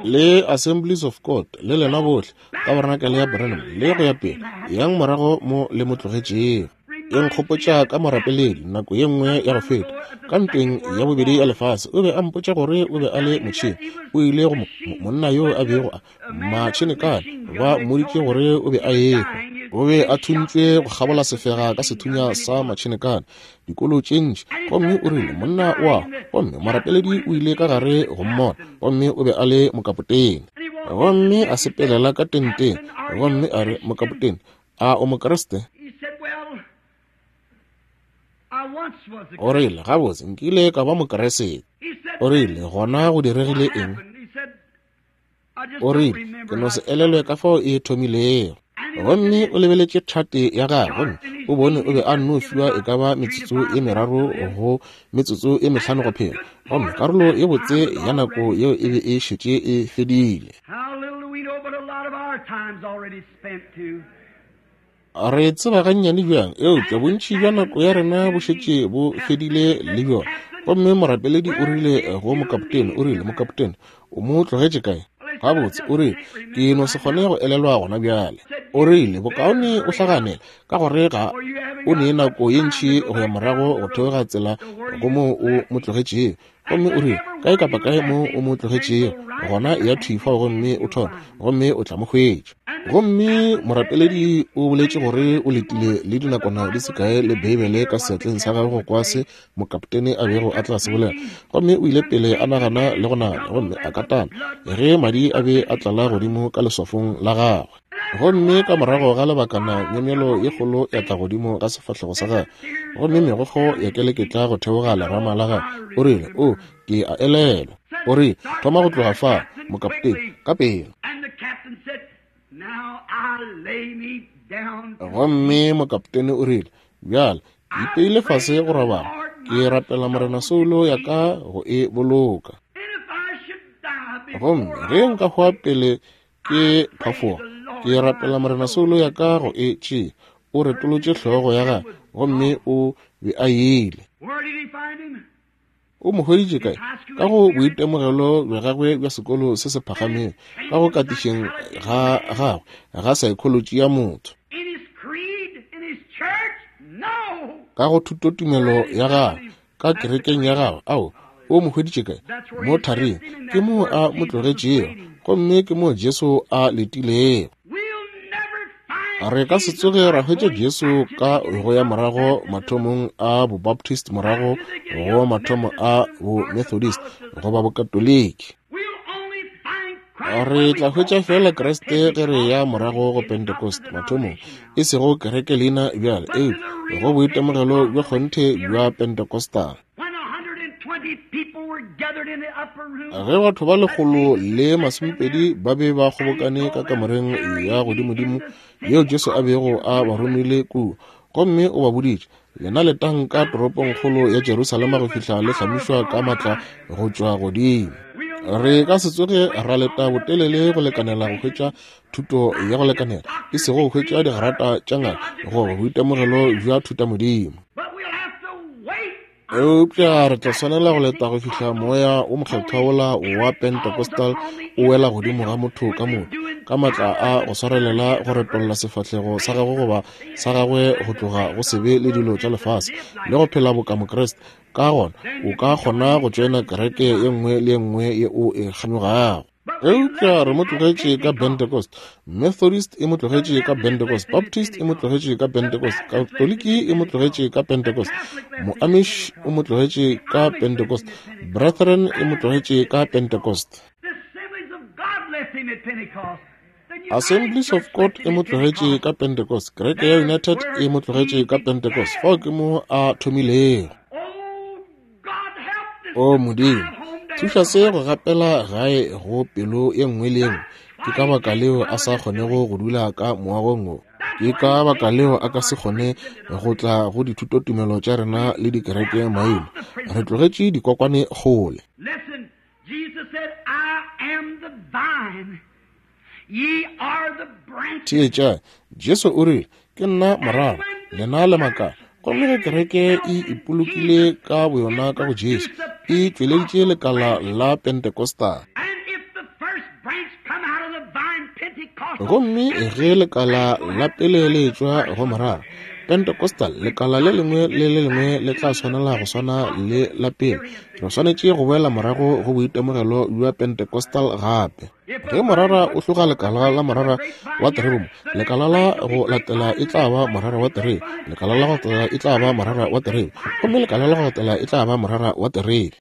Le Assemblies of God, le lena bohle, tabernacle ya Branham, le go ya pele, yang morago mo le mo tlogetšego. E nkgopotša ka morapeledi nako ye nngwe ya go feta, ka ntweng ya bobedi ya lefase, o be a mpotša gore o be a le motšhene. O ile go monna yo a bego a matšhenekane, ba mmoditše gore o be a ehwa. O be a thuntšwe go kgabola sefega ka sethunya sa matšhenekane, dikolo tše ntši, gomme o rile monna wa, gomme morapeledi o ile ka gare go mmona, gomme o be a le mokapotene. Gomme a sepelela ka tenteng, gomme a re, mokapotene, a o Mokriste? O rile, gabotse, nkile ka ba Mokriste. O rile, gona go diregile eng? O rile, ke no se elelwe ka fao e thomilego. Gomme o lebeletše thate ya gagwe, gomme o bone o be a nno fiwa e ka ba metsotso e meraro go metsotso e mehlano go phela, gomme karolo ye botse ya nako yeo e be e šetše e fedile. Re tseba gannyane bjang, eupša bontši bja nako ya rena bo šetše bo fedile le bjona. Gomme morapeledi o rile go mokapotene, o rile, mokapotene, o mo tlogetše kae? Gabotse, o rile, ke no se kgone go elelwa gona bjale. O rile, bokaone o hlaganele, ka gore ga o ne nako ye ntši go ya morago go theoga tsela go mo o mo tlogetšego. Gomme o rile, kae kapa kae mo o mo tlogetšego, gona ya thwi fao gomme o thome, gomme o tla mo hwetša. Gomme morapeledi o boletše gore o letile le dinakwana di se kae le Beibele ka seatleng sa gagwe go kwa se mokapotene a bego a tla se bolela. Gomme o ile pele a nagana le go nagana, gomme a katana ge madi a be a tlala godimo ka leswafong la gagwe. Gomme ka morago ga lebakana myemyelo ye kgolo ya tla godimo ga sefahlego sa gagwe, gomme megokgo ya keleketla go theoga lerama la gagwe. O rile, o, ke a elelwa. O rile, thoma go tloga fa, mokapotene, ka pela. Gomme mokapotene o rile, bjale, ke ipeile fase go robala, ke rapela Morena soulo ya ka go e boloka. Gomme ge nka hwa pele ke phafoga, ke rapela Morena soulo ya ka go e tšea. O retolotše hlogo ya gagwe, gomme o be a ile. O mo hweditše kae? Ka go boitemogelo bja gagwe bja sekolo se se phagamego, ka go katišeng ga gagwe ga saekholotši ya motho, ka go thutotumelo ya gagwe, ka kerekeng ya gagwe. Ao, o mo hweditše kae? Mo thareng. Ke moo a mo tlogetšego, gomme ke moo Jesu a letilego. Re ka se tsoge ra hwetša Jesu ka go ya morago mathomong a Bobaptist, morago go mathomo a Bomethodist goba Bokatoliki. Re tla hwetša fela Kriste ge re ya morago go Pentecost mathomong, e sego kereke leina bjale, eupša go boitemogelo bja kgonthe bja Pentecostal. Ge batho ba lekgolo le masomepedi ba be ba kgobokane ka kamoreng ya godimodimo yeo Jesu a bego a ba romile kua, gomme o ba boditše, lena letang ka toropongkgolo ya Jerusalema go fihla le hlamišwa ka matla go tšwa godimo. Re ka se tsoge ra leta botelele go lekanela go hwetša thuto ya go lekanela, e sego go hwetša digrata tša ngaka goba boitemogelo bja thutamodimo. Eupša re tla swanela go leta go fihla moya o mokgethwa wola wa Pentecostal o wela godimo ga motho ka motho, ka matla a go swarelela go retolla sefahlego sa gagwe goba sa gagwe go tloga go sebe le dilo tša lefase le go phela boka Mokriste. Ka gona o ka kgona go tšoena kereke ye nngwe le ye nngwe ye o e kganyogago. Eupša re mo tlogetše ka Pentecost, Methodist e mo tlogetše ka Pentecost, Baptist e mo tlogetše ka Pentecost, Katoliki e mo tlogetše ka Pentecost, Moamish o mo tlogetše ka Pentecost, Brethren e mo tlogetše ka Pentecost, Assemblies of God e mo tlogetše ka Pentecost, Kereke ya United e mo tlogetše ka Pentecost. Fao ke mo a thomilego. O Modimo, thuša se go gapela gae go pelo ye nngwe le ye nngwe. Ke ka baka leo a sa kgonego go dula ka moagong wo. Ke ka baka leo a ka se kgone go tla go dithutotumelo tša rena le dikereke maina. Re tlogetše dikokwane kgole. Theetša, Jesu o rile, ke nna morara, lena le makala. Gomme ge kereke e ipolokile ka boyona ka go Jesu, e tšweleditše lekala la Pentecostal. Gomme ge lekala la pele le etšwa go morara Pentecostal, lekala le lengwe le le lengwe le tla swanela go swana le la pele. Re swanetše go boela morago go boitemogelo bja Pentecostal gape. Ge morara o hloga lekala la morara wa terebe mo, lekala la go latela e tla ba morara wa terebe, lekala la go latela e tla ba morara wa terebe, gomme lekala la go latela e tla ba morara wa terebe.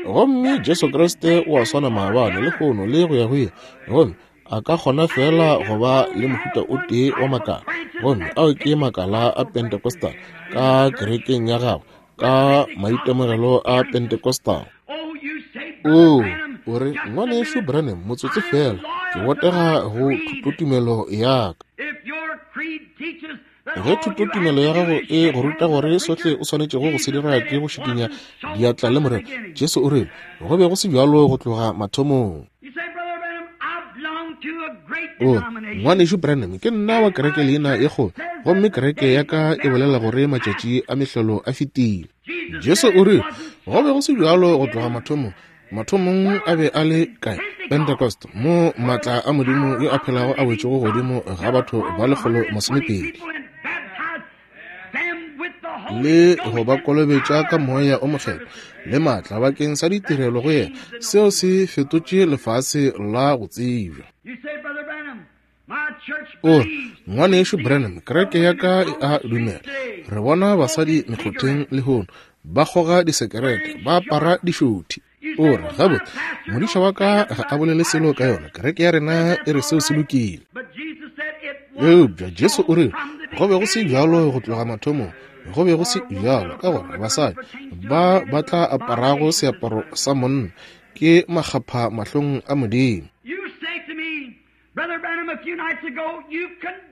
Gomme Jesu Kriste o a swana maabane, lehono le go ya go ile. Gomme a ka kgona fela go ba le mohuta o tee wa makala, gomme ao ke makala a Pentecostal ka kerekeng ya gagwe, ka maitemogelo a Pentecostal. O, o re, ngwanešu Branham, motsotso fela, ke botega go thutotumelo ya ka. Ge thutotumelo ya gago e go ruta gore sohle o swanetšego go se dira ke go šikinya diatla le Morena, Jesu o rile, go be go se bjalo go tloga mathomong. O, ngwanešu Branham, ke nna wa kereke leina ye kgolo, gomme kereke ya ka e bolela gore matšatši a mehlolo a fetile. Jesu o rile, go be go se bjalo go tloga mathomong. Mathomong a be a le kae? Pentecost, mo matla a Modimo yo a phelago a wetšego godimo ga batho ba lekgolo masomepedi le go ba kolobetša ka moya o mokgethwa le matla bakeng sa ditirelo go yena. Seo se fetotše lefase la go tsebja. O, ngwanešu Branham, kereke ya ka e a dumela. Re bona basadi mekgotheng lehono ba kgoga disekerete, ba apara dišothi. O re, gabotse, modiša wa ka ga a bolele selo ka yona, kereke ya rena e re seo se lokile. Eupša Jesu o rile, go be go se bjalo go tloga mathomong, go be go se bjalo ka gore basadi ba ba tla aparago seaparo sa monna ke makgapha mahlong a Modimo.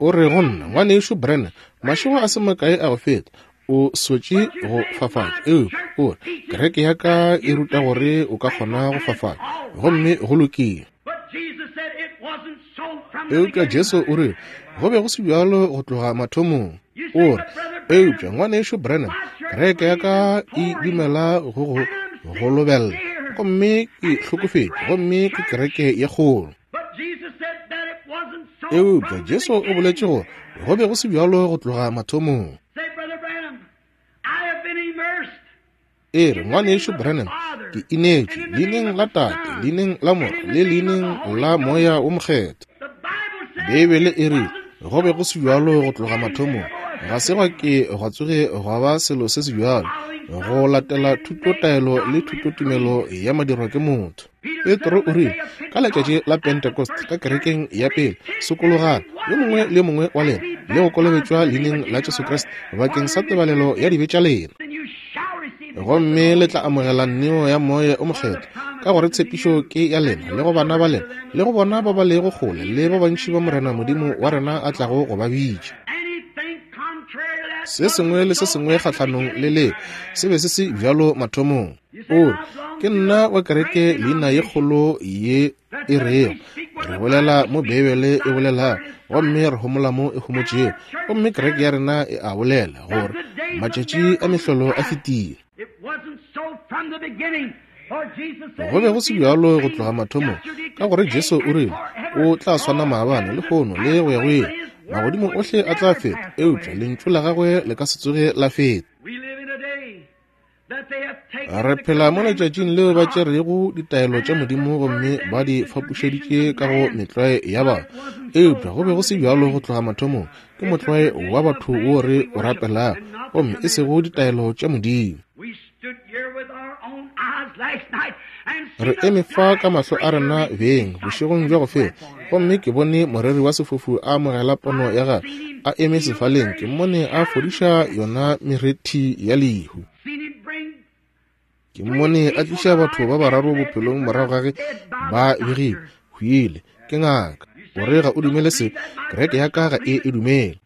O re go nna, ngwanešu Branham, mašego a se makae a go feta, o sotše go fafatša. Eupša o re, kereke ya ka e ruta gore o ka kgona go fafatša, gomme go lokile. Eupša Jesu o re go be go se bjalo go tloga mathomong. O re, eupša ngwanešu Branham, kereke ya ka e dumela go go golobella, gomme ke hlokofetše, gomme ke kereke ye kgolo. Eupša Jesu o boletše gore go be go se bjalo go tloga mathomong. E re, ngwanešu Branham, ke inetšwe leineng la Tate, leineng la Morwa le leineng la Moya wo Mokgethwa. Beibele e re go be go se bjalo go tloga mathomong. Ga se gwa ke gwa tsoge gwa ba selo se se bjalo go latela thutotaelo le thutotumelo ya madirwa ke motho. Petro o rile ka letšatši la Pentecost ka kerekeng ya pele, sokologang yo mongwe le mongwe wa lena le go kolobetšwa leineng la Jesu Kriste bakeng sa tebalelo ya dibe tša lena, gomme le tla amogela neo ya Moya o Mokgethwa, ka gore tshepišo ke ya lena le go bana ba lena le go bona ba ba lego kgole le ba bantši ba Morena Modimo wa rena a tlago go ba bitša. Se sengwe le se sengwe kgahlanong le leo se be se se bjalo mathomong. O re, ke nna wa kereke leina ye kgolo ye e rego re bolela mo Beibele e bolelago, gomme re homola mo e homotšego, gomme kereke ya rena e a bolela gore matšatši a mehlolo a fetile. Go be go se bjalo go tloga mathomong, ka gore Jesu o rile o tla swana maabane le lehono le go ya go ile. Magodimo ohle a tla feta, eupša lentšu la gagwe le ka se tsoge la feta. Re phela mo letšatšing leo ba tšerego ditaelo tša Modimo gomme ba di fapošeditše ka go metlwae ya batho. Eupša go be go se bjalo go tloga mathomong. Ke motlwae wa batho wo re o rapelago, gomme e sego ditaelo tša Modimo. Re eme fa ka mahlo a rena beng bošegong bja go feta, gomme ke bone moreri wa sefofu a amogela pono ya gagwe a eme sefaleng. Ke mmone a fodiša yona merethi ya lehu. Ke mmone a tliša batho ba bararo bophelong morago ga ge ba begile hwile ke ngaka. O re ga o dumele se, kereke ya ka ga e e dumele.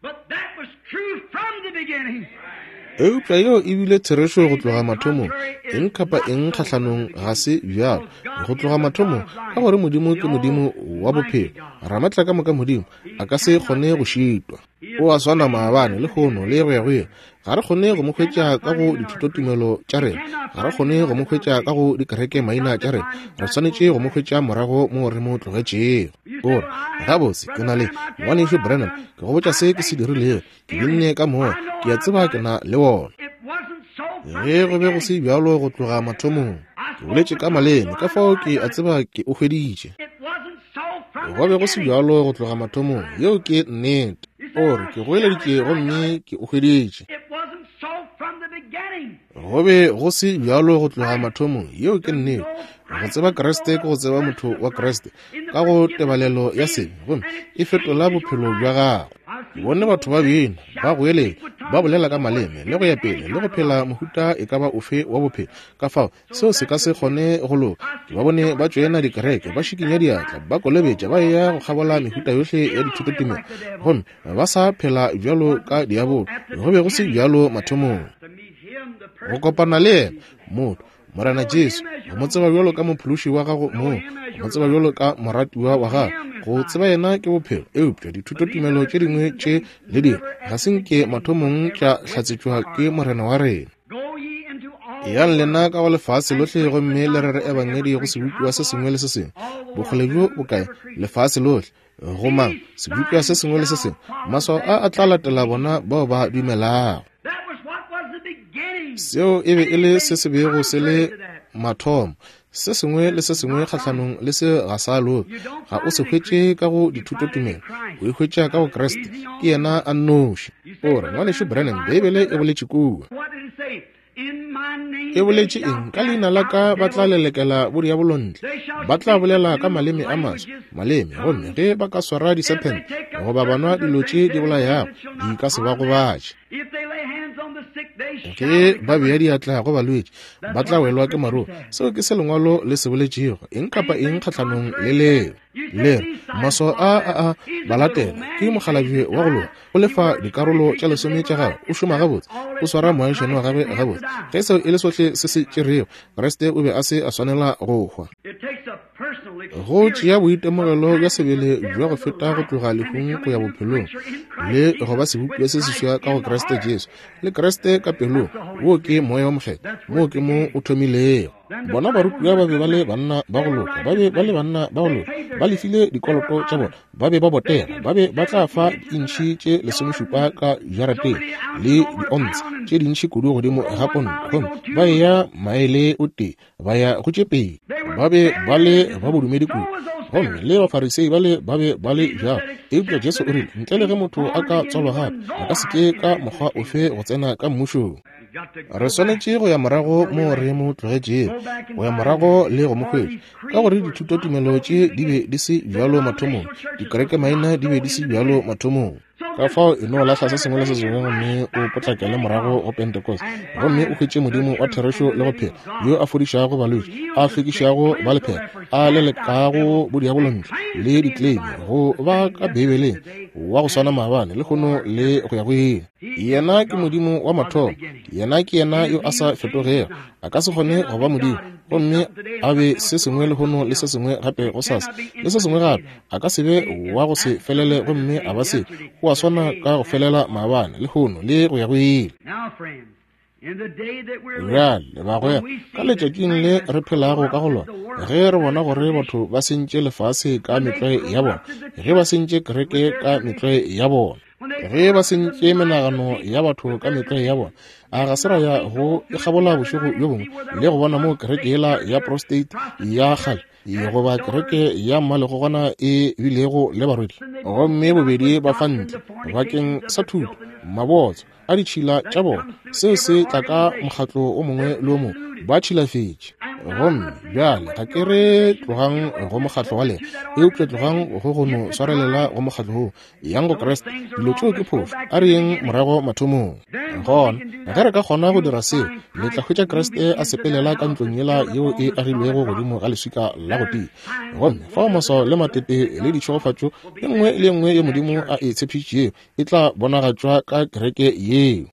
Eupša yeo e bile therešo go tloga mathomong. Eng kapa eng kgahlanong ga se bjalo go tloga mathomong, ka gore Modimo ke Modimo wa bophelo, Ramatla ka moka Modimo a ka se kgone go šitwa. O a swana maabane le lehono le go ya go ile. Ga re kgone go mo hwetša ka go dithutotumelo tša rena, ga re kgone go mo hwetša ka go dikereke maina tša rena. Re swanetše go mo hwetša morago mo re mo tlogetšego. O re, gabotse ke na le ngwanešu Branham, ke go botša se ke se dirilego, ke binne ka moya, ke a tseba ke na le wona. Ge go be go se bjalo go tloga mathomong, ke boletše ka maleme, ka fao ke a tseba ke o hweditše. Go be go se bjalo go tloga mathomong, yeo ke nnete. O re, ke goeleditše gomme ke o hweditše. Go be go se bjalo go tloga mathomong, yeo ke nnete. Go tseba Kriste ke go tseba motho wa Kriste ka go tebalelo ya sebe, gomme e fetola bophelo bja gago. Ke bone batho ba bina, ba goeletša, ba bolela ka maleme le go ya pele le go phela mohuta e ka ba ofe wa bophelo. Ka fao seo se ka se kgone go loka. Ke ba bone ba tšoena dikereke, ba šikinya diatla, ba kolobetša, ba eya go kgabola mehuta yohle ya dithutotumelo, gomme ba sa phela bjalo ka diabolo. Go be go se bjalo mathomong. Go kopana le yena motho Morena Jesu, go mo tseba bjalo ka mophološi wa gago mong, go mo tseba bjalo ka moratiwa wa gago, go tseba yena ke bophelo. Eupša dithutotumelo tše dingwe tše le dingwe ga se nke mathomong tša hlatsetšwa ke Morena wa rena. Eyang lena ka go lefase lohle gomme le rere ebangedi go sebopiwa se sengwe le se sengwe. Bokgole bjo bokae? Lefase lohle. Go mang? Sebopiwa se sengwe le se sengwe. Maswao a a tla latela bona bao ba dumelago. Seo e be e le se se bego se le mathomo. Se sengwe le se sengwe kgahlanong le se ga sa loka. Ga o se hwetše ka go dithutotumelo, o e hwetša ka go Kriste. Ke yena a nnoši. O re, ngwanešu Branham, Beibele e boletše kua. E boletše eng? Ka leina la ka ba tla lelekela bodiabolo ntle, ba tla bolela ka maleme a maswa, maleme, gomme ge ba ka swara disephente goba ba nwa dilo tše di bolayago, di ka se ba gobatše. Ge ba bea diatla go balwetši, ba tla welwa ke maruo. Seo ke se lengwalo le se boletšego. Eng kapa eng kgahlanong le leo. Le re, maswao a a a ba latela ke mokgalabje wa go loka, o lefa dikarolo tša lesome tša gagwe, o šoma gabotse, o swara moagišane wa gagwe gabotse. Ge seo e le sohle se se tšerego, Kriste o be a se a swanela go hwa. Go tšea boitemogelo bja sebele bja go feta go tloga lehung go ya bophelong, le go ba sebopiwa se seswa ka go Kriste Jesu, le Kriste ka pelong. Wo ke Moya wo Mokgethwa, moo ke mo o thomilego. Bona barutiwa ba be ba le banna ba go loka, ba be ba le banna ba go loka, ba lefile dikoloto tša bona, ba be ba botega, ba be ba tla fa diintšhi tše lesomešupa ka jarateng le diontshe tše dintši kudu godimo ga ponto, gomme ba eya maele o tee ba ya go tše pedi. Ba be ba le ba bodumedi kudu, gomme le Bafarisei ba le ba be ba le bjalo. Eupša Jesu o rile, ntle le ge motho a ka tswalwa gape, a ka se ke ka mokgwa ofe go tsena ka mmušong. Re swanetše go ya morago mo re mo tlogetšego, go ya morago le go mo hwetša, ka gore dithutotumelo tše di be di se bjalo mathomong, dikerekemaina di be di se bjalo mathomong. Ka fao e no lahla se sengwe le se sengwe gomme o potlakele morago go Pentecost, gomme o hwetše Modimo wa therešo le go phela, yo a fodišago balwetši, a hlwekišago ba lephera, a lelekago bodiabolo ntle le ditleime, go ba ka Beibeleng, wa go swana maabane lehono le go ya go ile. Yena ke Modimo wa mathomo, yena ke yena yo a sa fetogego. A ka se kgone go ba Modimo gomme a be se sengwe lehono le se sengwe gape gosasa le se sengwe gape. A ka se be wa go se felele gomme a ba se. O a swana ka go felela maabane lehono le go ya go ile. Bjale bagwera, ka letšatšing le re phelago ka go lona, ge re bona gore batho ba sentše lefase ka metlwae ya bona, ge ba sentše kereke ka metlwae ya bona, ge ba sentše menagano ya batho ka metlwae ya bona, a ga se ra ya go ikgabola bošego bjo bongwe le go bona mo kereke yela ya prostate ya kgale goba kereke ya mmalegogwana e bilego le barwedi, gomme bobedi ba fa ntle bakeng sa thuto, mabotso a ditšhila tša bona, seo se tla ka mokgatlo o mongwe le o mongwe, ba tšhilafetše. Gomme bjale ga ke re tlogang go mokgatlo wa lena, eupša tlogang go go no swarelela go mokgatlo woo, yang go Kriste. Dilo tšeo ke phošo, a re yeng morago mathomong. Gona ge re ka kgona go dira seo, le tla hwetša Kriste a sepelela ka ntlong yela yeo e agilwego godimo ga leswika la go tia, gomme fao maswao le matete le ditšhegofatšo e nngwe le e nngwe ye Modimo a e tshepišitšego e tla bonagatšwa ka kereke yeo.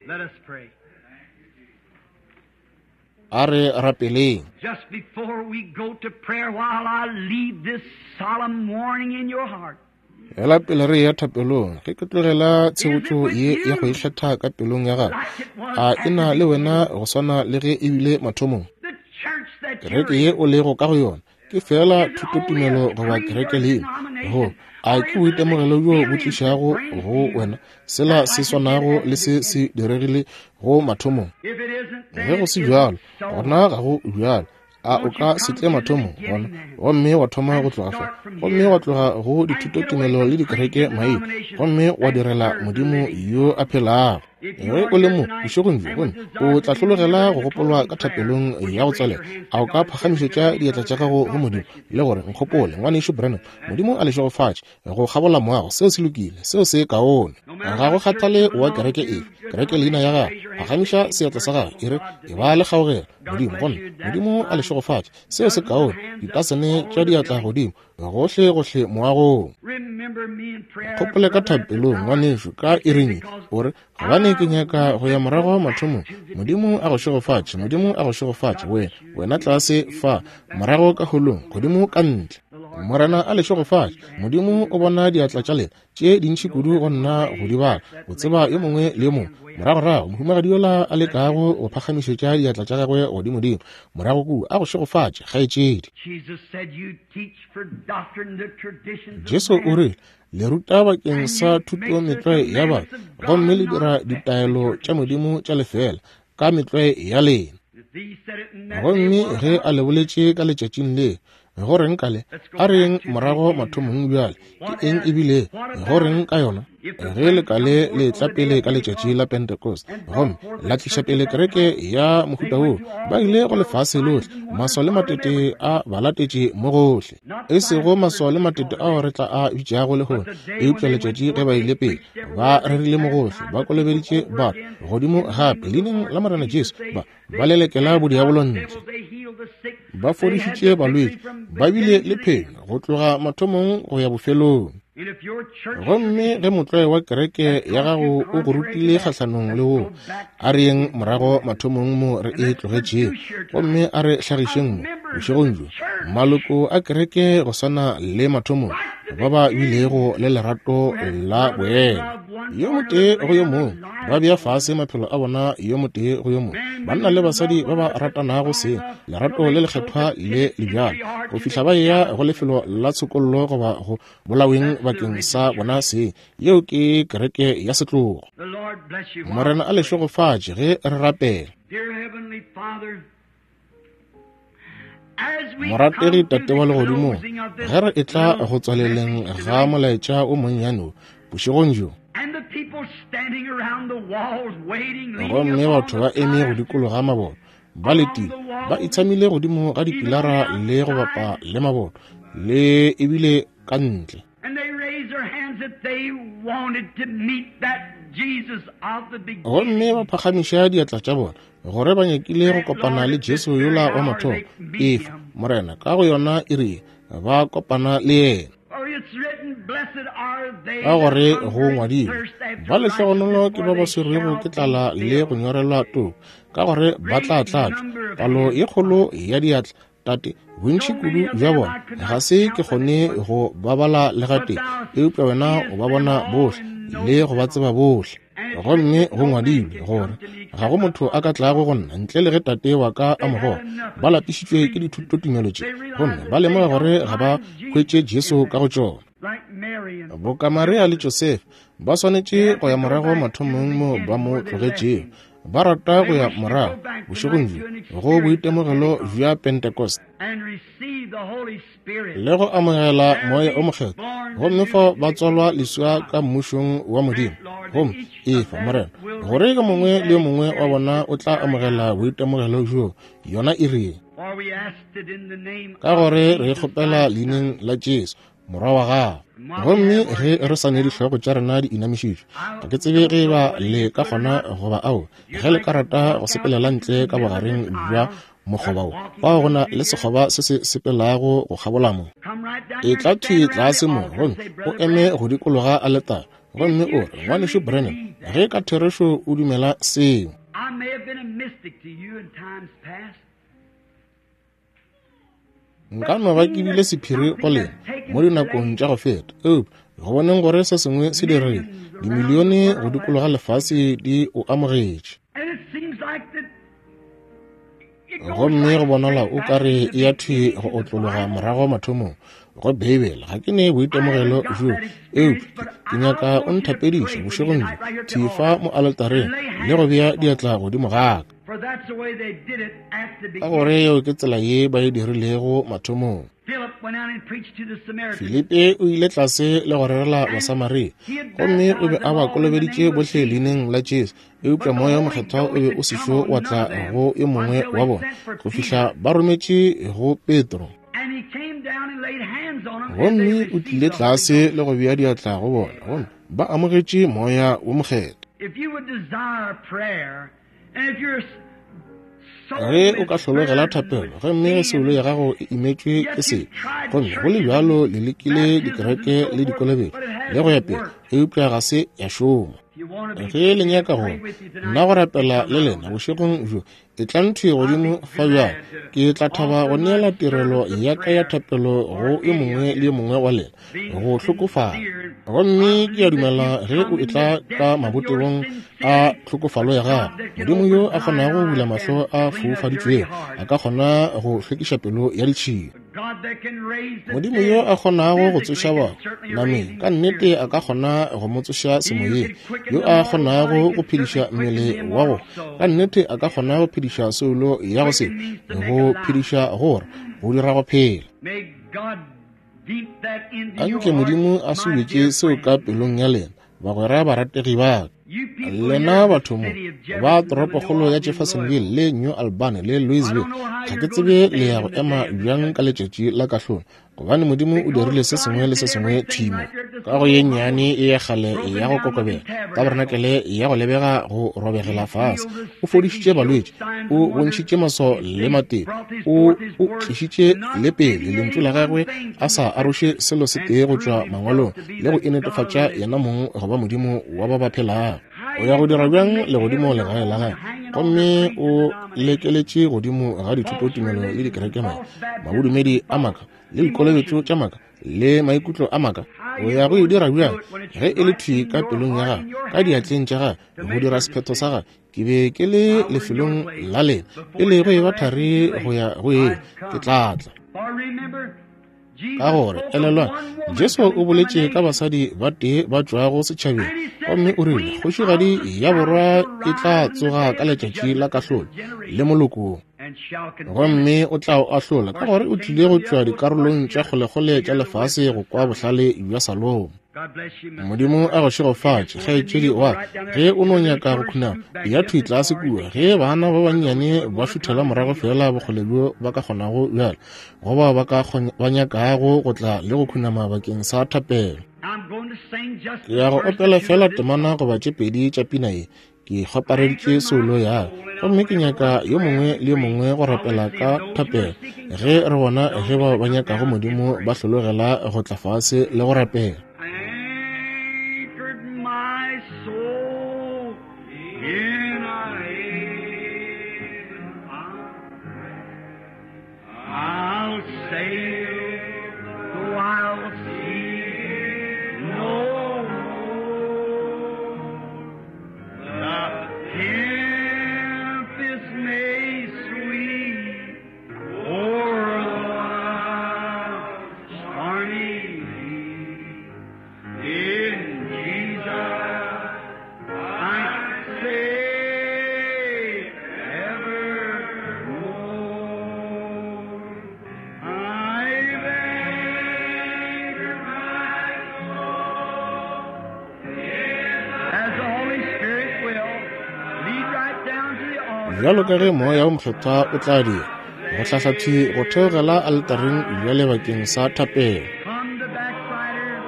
A re rapeleng. Just before we go to prayer, while I leave this solemn warning in your heart. Hela pele re ya thapelong, ge ke tlogela tshebotšo ye ya go ihlatha ka pelong ya gago, a e na le wena go swana le ge e bile mathomong? Kereke ye o lego ka go yona ke fela thutotumelo goba kereke leina, go a ke boitemogelo bjo bo tlišago go wena sela se swanago le se se diregile go mathomong? Ge go se bjalo, gona ga go bjalo. A o ka se tle mathomong gona, gomme wa thoma go tloga fa, gomme wa tloga go dithutotumelo le dikereke maina, gomme wa direla Modimo yo a phelago. Ge o le mo bošegong bjo, gomme o tla hlologela go gopolwa ka thapelong ya go tswalela, a o ka phagamišetša diatla tša gago go Modimo le gore, nkgopole ngwanešu Branham, Modimo a le šegofatše go kgabola moago. Seo se lokile, seo se kaone. Ga go kgathale wa kereke efe, kereke leina ya gago, phagamiša seatla sa gago e re, e ba le kgaogelo Modimo, gomme Modimo a le šegofatše. Seo se kaone. Ditasene tša diatla godimo gohle gohle moagong. Kgopole ka thapelong ngwanešu ka iring, o re, gobane ke nyaka go ya morago mathomong. Modimo a go šegofatše, Modimo a go šegofatše wena, wena tlase fa, morago ka holong, godimo ka ntle. Morena a le šegofatše. Modimo o bona diatla tša lena tše dintši kudu go nna go di bala, o tseba yo mongwe le yo mongwe. Moragorago mohumagadi yola a lekago go phagamišetša diatla tša gagwe godimodimo morago kua, a go šegofatše kgaetšedi. Jesu o rile, le ruta bakeng sa thuto metlwae ya batho, gomme le dira ditaelo tša Modimo tša lefela ka metlwae ya lena. Gomme ge a le boletše ka letšatšing le, go reng ka le? A re yeng morago mathomong bjale. Ke eng ebile go reng ka yona? Ge le ka le le tla pele ka letšatši la Pentecost, gomme la tliša pele kereke ya mohuta woo, ba ile go lefase lohle, maswao le matete a ba latetše mo gohle. E sego maswao le matete ao re tla a bitšago lehono, eupša letšatši ge ba ile pele, ba rerile mo gohle, ba kolobeditše batho godimo gape leineng la Morena Jesu, ba ba lelekela bodiabolo ntle, ba fodišitše balwetši, ba bile le phenyo go tloga mathomong go ya bofelong. Gomme ge motlwae wa kereke ya gago o go rutile kgahlanong le wo, a re yeng morago mathomong mo re e tlogetšego, gomme a re hlagišeng mo bošegong bjo maloko a kereke go swana le mathomong ba ba bilego le lerato la boena yo motee go yo mongwe, ba bea fase maphelo a bona yo motee go yo mongwe, banna le basadi ba ba ratanago seng, lerato le lekgethwa le le bjalo, go fihla ba eya go lefelo la tshokollo goba go bolaweng bakeng sa bona seng. Yeo ke kereke ya setlogo. Morena a le šegofatše ge re rapela. Morategi Tate wa legodimong, ge re etla go tswaleleng ga molaetša o monnyane wo bošegong bjo, gomme batho ba eme go dikologa maboto, ba letile, ba itshamile godimo ga dipilara le go bapa le maboto, le ebile ka ntle. Gomme ba phagamiša diatla tša bona gore ba nyakile go kopana le Jesu yola wa mathomo. Efa, Morena, ka go yona iri ba kopana le yena. Ka gore go ngwadilwe, ba lehlogonolo ke ba ba swerwego ke tlala le go nyorelwa toko, ka gore ba tla tlatšwa. Palo ye kgolo ya diatla, Tate, bontši kudu bja bona ga se ke kgone go ba bala le gatee, eupša wena o ba bona bohle le go ba tseba bohle. Gomme go ngwadilwe gore ga go motho a ka tlago go nna ntle le ge Tate wa ka a mo goga. Ba lapišitšwe ke dithutotumelo tše, gomme ba lemoga gore ga ba hwetše Jesu ka go tšona. Boka Maria le Josefa ba swanetše go ya morago mathomong mo ba mo tlogetšego. Ba rata go ya morago bošegong bjo go boitemogelo bja Pentecost le go amogela Moya o Mokgethwa, gomme fao ba tswalwa leswa ka mmušong wa Modimo. Gomme efa, Morena, gore yo mongwe le yo mongwe wa bona o tla amogela boitemogelo bjo yona iri, ka gore re kgopela leineng la Jesu Morwa wa gago. Gomme ge re sa ne dihlogo tša rena di inamišitšwe, ga ke tsebe ge ba le ka kgona goba ao, ge le ka rata go sepelela ntle ka bogareng bja mokgoba wo, fao go na le sekgoba se se sepelago go kgabola mo. E tla thwi tlase mo, gomme o eme go dikologa aletara, gomme o re, Ngwanešu Branham, ge ka therešo o dumela seo. Nka no ba ke bile sephiri go lena mo dinakong tša go feta, eupša go boneng gore se sengwe se diregile, dimilione go dikologa lefase di o amogetše. Gomme go bonala o ka re e ya thwi go otlologa morago mathomong go Beibele. Ga ke ne boitemogelo bjo, eupša ke nyaka o nthapediše bošegong bjo thwi fa mo aletareng le go bea diatla godimo ga ka, ka gore yeo ke tsela ye ba e dirilego mathomong. Filipe o ile tlase le go rerela Basamaria, gomme o be a ba kolobeditše bohle leineng la Jesu, eupša Moya o Mokgethwa o be o sešo wa tla go yo mongwe wa bona go fihla ba rometše go Petro. Gomme o tlile tlase le go bea diatla go bona, gomme ba amogetše Moya wo Mokgethwa. Ge o ka hlologela thapelo, gomme ge soulo ya gago e imetšwe ke sebe, gomme go le bjalo le lekile dikereke le dikolobetšo le go ya pele, eupša ga se ya šoma. Ge le nyaka go nna go rapela le lena bošegong bjo, e tla nthwi godimo fa bjalo, ke tla thaba go neela tirelo ya ka ya thapelo go yo mongwe le yo mongwe wa lena go hlokofala. Gomme ke a dumela ge o etla ka mabotebong a tlhokofalo ya gago, Modimo yo a kgonago go bula mahlo a foufaditšwego a ka kgona go hlwekiša pelo ya ditšhila. Modimo yo a kgonago go tsoša bahu nameng, ka nnete a ka kgona go mo tsoša semoyeng. Yo a kgonago go phediša mmele wa go, ka nnete a ka kgona go phediša soulo ya go se, go phediša gore go dira go phela. Anke Modimo a subetše seo ka pelong ya lena, bagwera barategi ba ka. Lena batho mo ba toropokgolo ya Jeffersonville le New Albany le Louisville, ga ke tsebe le ya go ema bjang ka letšatši la kahlolo, gobane Modimo o dirile se sengwe le se sengwe thimo ka go ye nnyane e ya kgale ya go kokobela, tabernakelé ya go lebega go robegela fase. O fodišitše balwetši, o bontšhitše maswao le matete, o o tlišitše le pele lentšu la gagwe a sa aroše selo se tee go tšwa mangwalong, le go inetefatša yena mong go ba Modimo wa ba ba phelago. O ya go dira bjang legodimo legae la gagwe, gomme o lekeletše godimo ga dithutotumelo le dikerekemaina, mabodumedi a maaka le dikolobetšo tša maaka le maikutlo a maaka? O ya go e dira bjang ge e le thwi ka pelong ya gagwe, ka diatleng tša gagwe, go dira sephetho sa gagwe? Ke be ke le lefelong la lena pele go eba thari go ya go eng, ke tla tla. Ka gore elelwang, Jesu o boletše ka basadi ba tee ba tšwago setšhabeng, gomme o rile kgošigadi ya borwa e tla tsoga ka letšatši la kahlolo le molokong, gomme o tla o ahlola, ka gore o tlile go tšwa dikarolong tša kgolekgole tša lefase go kwa bohlale bja Salomo. Modimo a go šegofatše, kgaetšedi wa ge o no nyaka go khunama, ya thwi tlase kua ge bana ba bannyane ba šuthela morago fela bokgole bjo ba ka kgonago bjalo, go bao ba ka ba nyakago go tla le go khunama bakeng sa thapelo. Ke ya go opela fela temana goba tše pedi tša pina ye. Ke kgwapareditše soulo ya ka, gomme ke nyaka yo mongwe le yo mongwe go rapela ka thapelo ge re bona ge bao ba nyakago Modimo ba hlologela go tla fase le go rapela. Anchored my soul in a haven of rest. I'll sail the wild sea no more. The tempest may sweep o'er the wild stormy sea. In Jesus I'm safe evermore. I've anchored my soul as the Holy Spirit will lead right down to the altar. Bjalo ka ge moya wo mokgethwa o tla dira go hlahla thwi go theogela altareng bjale bakeng sa thapelo. Come the backslider.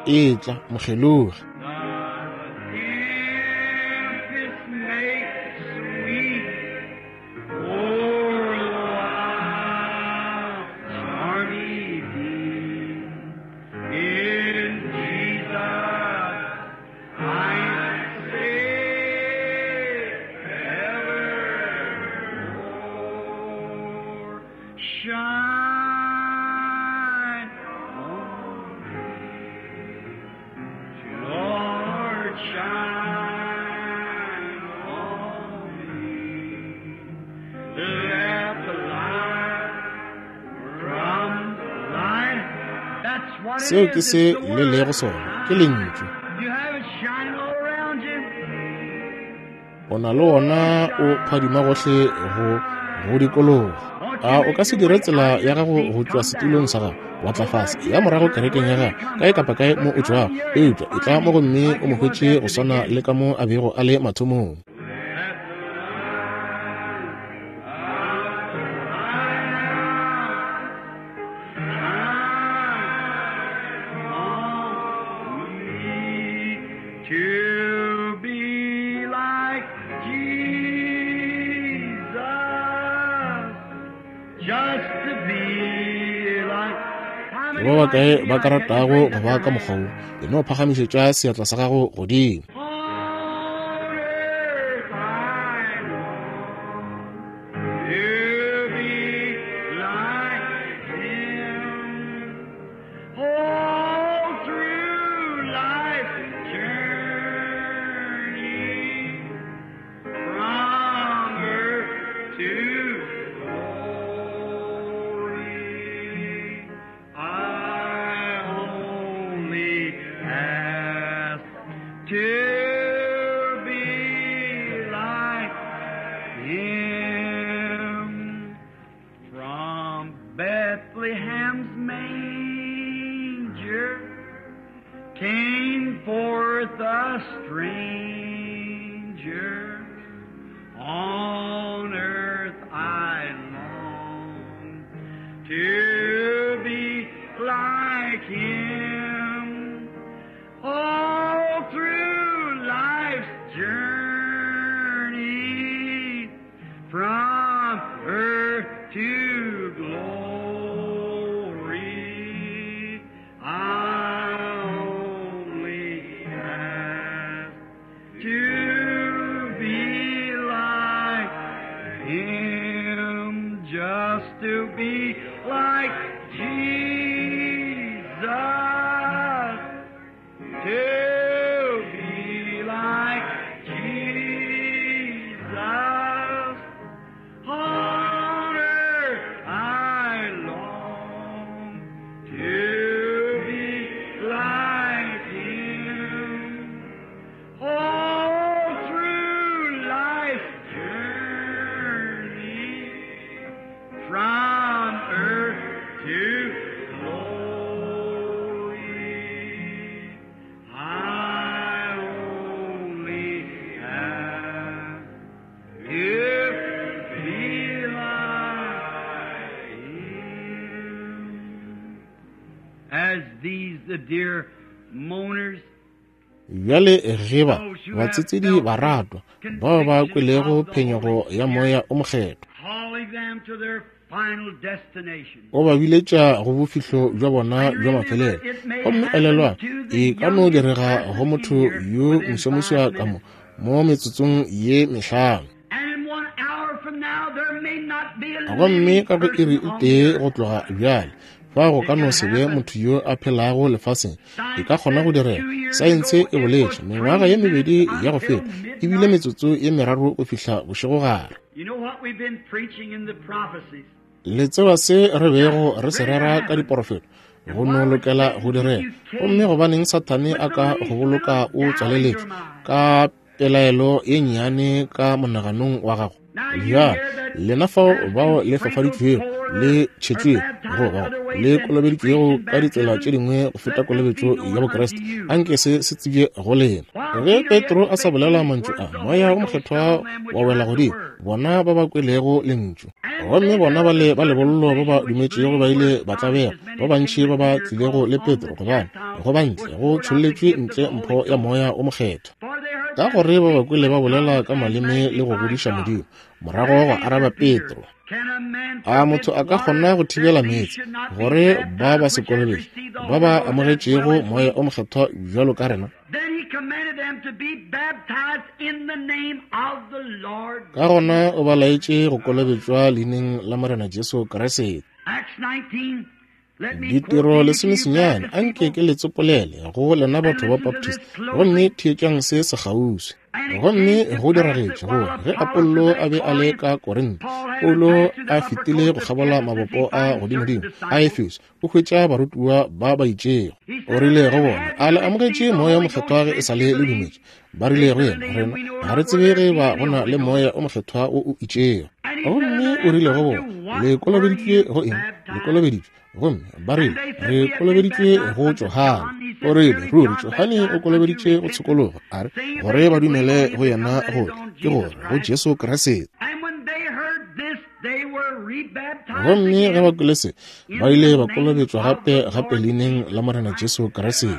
Etla mokgelogi. The tempest may sweep o'er the wild stormy deep. In Jesus I'm safe evermore. Shine on me, Lord, shine on me. Let the light from light. That's what it Seo ke is. se It's the le word. lego sona, ke lentšu. You have it shining all around you. O na le wona o phadima gohle go go dikologa. A o ka se dire tsela ya gago go tšwa setulong sa gago wa tla fase ya morago kerekeng ya gago kae kapa kae mo o tšwago, eupša e tla mo gomme o mo hwetše go swana le ka mo a bego a le mathomong. Let the light shine on me to be like Jesus, just to be like. How Ke many ba like bakae to be ba ka like that? Just ratago raise go up ba your ka hand. mokgwa wo? E no phagamišetša seatla sa gago godimo. On earth I long to be like Him. All through life's journey, from earth to glory, I only ask to be like Him. From Bethlehem's manger Came forth a stranger, on earth I long to be like him. All through life's journey, from earth to glory, I only ask to be like him, just to be like Jesus, to be like Jesus. On earth I long to be like him. All through life's journey, from earth to glory, I only ask to be like him. As these the dear mourners Bjale ge ba batsetsedi ba ratwa bao ba kwelego phenyego ya moya o mokgethwa calling them to their final destination. o ba biletša go bofihlo bja bona bja mafelelo. Gomme elelwa, e ka no direga go motho yo moswamuswa ka mo mo metsotsong ye mehlano. And in one hour from now, there may not be a Gomme living ka go iri person e on tee the earth. go tloga bjale, fa go ka no se be motho yo a phelago lefaseng, e ka kgona go direga. Saense e boletše mengwaga ye mebedi ya go feta, e bile metsotso ye meraro go fihla bošegogare. You know what we've been preaching in the prophecies? Le tseba se re bego re se rera ka diporofeto, go no lokela go direga. Gomme gobaneng Sathane a ka go boloka o tswaleletšwe ka pelaelo ye nnyane ka monaganong wa gago? Bjale lena fao bao le fafaditšwego le tšhetšwego goba le kolobeditšwego ka ditsela tše dingwe go feta kolobetšo ya Bokriste, anke se se tsebje go lena. Ge Petro a sa bolela mantšu a, moya o mokgethwa wa wela godimo bona ba ba kwelego lentšu. Gomme bona ba le ba lebollo ba ba dumetšego ba ile ba tlabega, ba bantši ba ba tlilego le Petro, gobane go bantle go tšholletšwe ntle mpho ya moya o mokgethwa. For they heard Ka gore ba ba kwele ba bolela ka maleme le go godiša Modimo. Morago gwa araba Petro, Can a man a motho a ka kgona go thibela meetse gore ba ba se kolobetše ba ba amogetšego moya o mokgethwa bjalo ka rena? Then he commanded them to be baptized in the name of the Lord. Ka gona o ba laetše go kolobetšwa leineng la Morena Jesu Kriste. Acts nineteen. Let me quote Ditiro these to you, lesomesenyane, Baptist anke people. ke le tsopolele go lena batho ba Baptist, gomme theetšang se sekgauswi. Gomme go diragetše gore ge Apollo a be a le ka Korinthe, Paulo a fetile go kgabola mabopo a godimodimo a Efeso, o hwetša barutiwa ba ba itšego. O rile go bona, a le amogetše moya o mokgethwa ge e sa le le dumetše? Ba rile go yena, rena ga re tsebe ge ba go na le moya o mokgethwa o o itšego. Gomme o rile go bona, le kolobeditšwe go eng? Le kolobeditšwe. Gomme ba rile, re kolobeditšwe go Johane. O rile, ruri Johane o kolobeditše go tshokologo, a re gore ba dumele go yena, gore ke gore go Jesu Kriste. And when they heard this, they were rebaptized Gomme ge again ba kwele se, ba ile ba kolobetšwa gape gape leineng la Morena Jesu Kriste.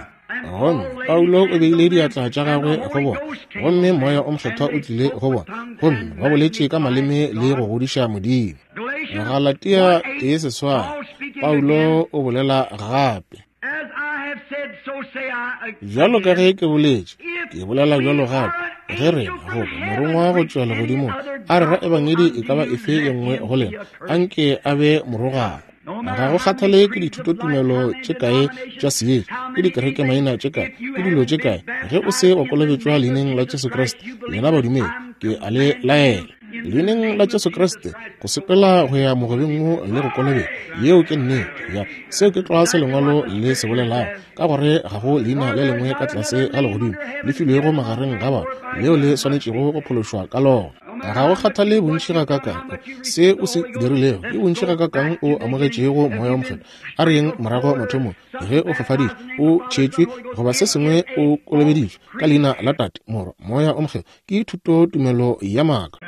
Gomme Paulo o beile diatla tša gagwe go bona, gomme moya o mokgethwa o tlile go bona, gomme ba boletše ka maleme le go godiša Modimo. Galatians Galatia one eight, tee seswai, Paul speaking Paulo again, o bolela gape. As I have said, so say I Bjalo ka again. ge ke boletše, If ke bolela we bjalo are gape, an ge angel rena from goba heaven morongwa go preach tšwa any legodimong other a rera gospel ebangedi e unto ka ba you, efe ye let nngwe him go be lena, accursed. anke a be morogana. No Ga matter go how many kgathale ke creeds of life, dithutotumelo how many tše kae tša denominations, seetša, how ke many dikerekemaina anything, tše kae, if you ke dilo tše haven't been kae, ge o se baptized wa in the kolobetšwa name of leineng la Jesus Jesu Christ, Kriste, you believe lena this, badumedi, I'm ke a le commanding laela. you. Leineng la Jesu Kriste, go sepela go ya mogobeng wo le go kolobetša. Yeo ke nnete. Ya, seo ke tlwa se lengwalo le se bolelago, ka gore ga go leina le lengwe ka tlase ga legodimo le filwego magareng ga batho leo le swanetšego go phološwa ka lona. Ga go kgathale bontši ga kakang se o se dirilego, ke bontši ga kakang o amogetšego Moya wo Mokgethwa. A re yeng morago mathomong, ge o fafaditšwe, o tšhetšwe, goba se sengwe, o kolobeditšwe ka leina la Tate, Morwa, Moya o Mokgethwa, ke thutotumelo ya maaka.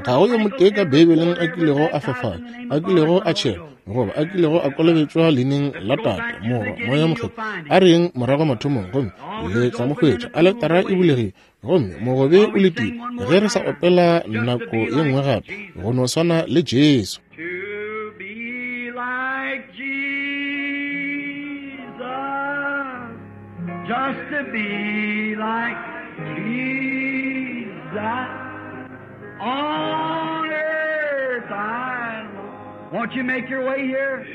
Ga go yo motee ka Beibeleng a kilego a fafala, a kilego a tšhelwa, goba a kilego a kolobetšwa leineng la Tate, Morwa, Moya Mokgethwa. A re yeng morago mathomong, gomme le tla mo hwetša. Aletara e bulegile, gomme mogobe o letile ge re sa opela nako ye nngwe gape, go no swana le Jesu. To be like Jesus, just to be like Jesus, on earth I long. Won't you make your way here?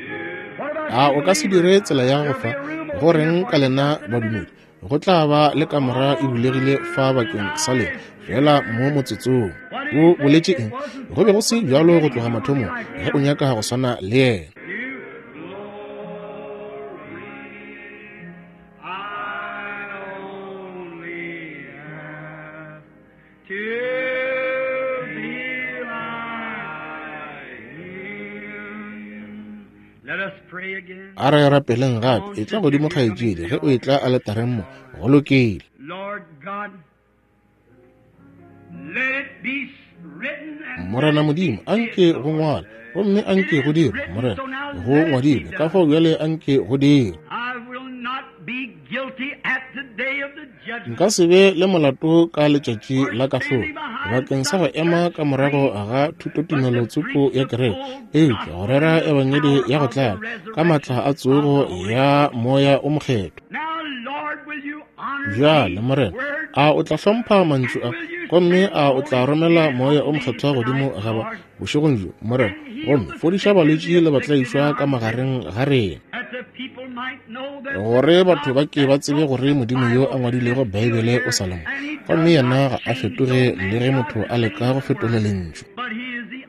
What about A you o ka se dire believers? tsela ya go There'll fa? be a room Go open here reng for ka you lena just in a badumedi? minute. Go tla ba le kamora e bulegile fa bakeng sa lena, fela mo motsotsong. What did O he say? boletše It eng? wasn't Go be so go se from the bjalo go beginning. tloga You want to be mathomong, like ge o him. nyaka go swana le yena. You glory, I only ask to be like him. Let us pray again. A re rapeleng gape. Come on, Etla sister, godimo you're coming kgaetšedi, to ge the o etla altar. aletareng mo. Go lokile. Lord God, let it be written and let Morena it be Modimo, said, anke go Lord. ngwala, gomme It anke go is dirwe. written, Morena, so now go let it be ngwadilwe, ka done. fao bjale anke go dirwe. I will not be guilty at the day of the judgment Nka se be le molato ka letšatši for la kahlolo standing behind bakeng sa go some ema church ka morago creed, ga but to thutotumelo preach tsoko ya the kereke, full eupša go gospel rera in the ebangedi power ya go of the tlala ka maatla resurrection a of the tsogo Holy ya Ghost. Moya o Mokgethwa. Now, Lord, will you honor Bjale, these Morena, words a o tla hlompha mantšu and a, will you gomme send the a o tla Holy romela Spirit Moya o on these Mokgethwa godimo tonight, ga ba Lord, bošegong bjo, Morena, and heal gomme the fodiša sick and balwetši the le afflicted in batlaišwa ka our midst, magareng ga rena, that the people might know that the gore batho God ba ke ba that tsebe wrote gore the Modimo yo a Bible is ngwadilego still Beibele o here, sa le mo, and he gomme does yena not ga a change, fetoge no le man ge tries motho to a leka change go the fetola word, lentšu. but he is the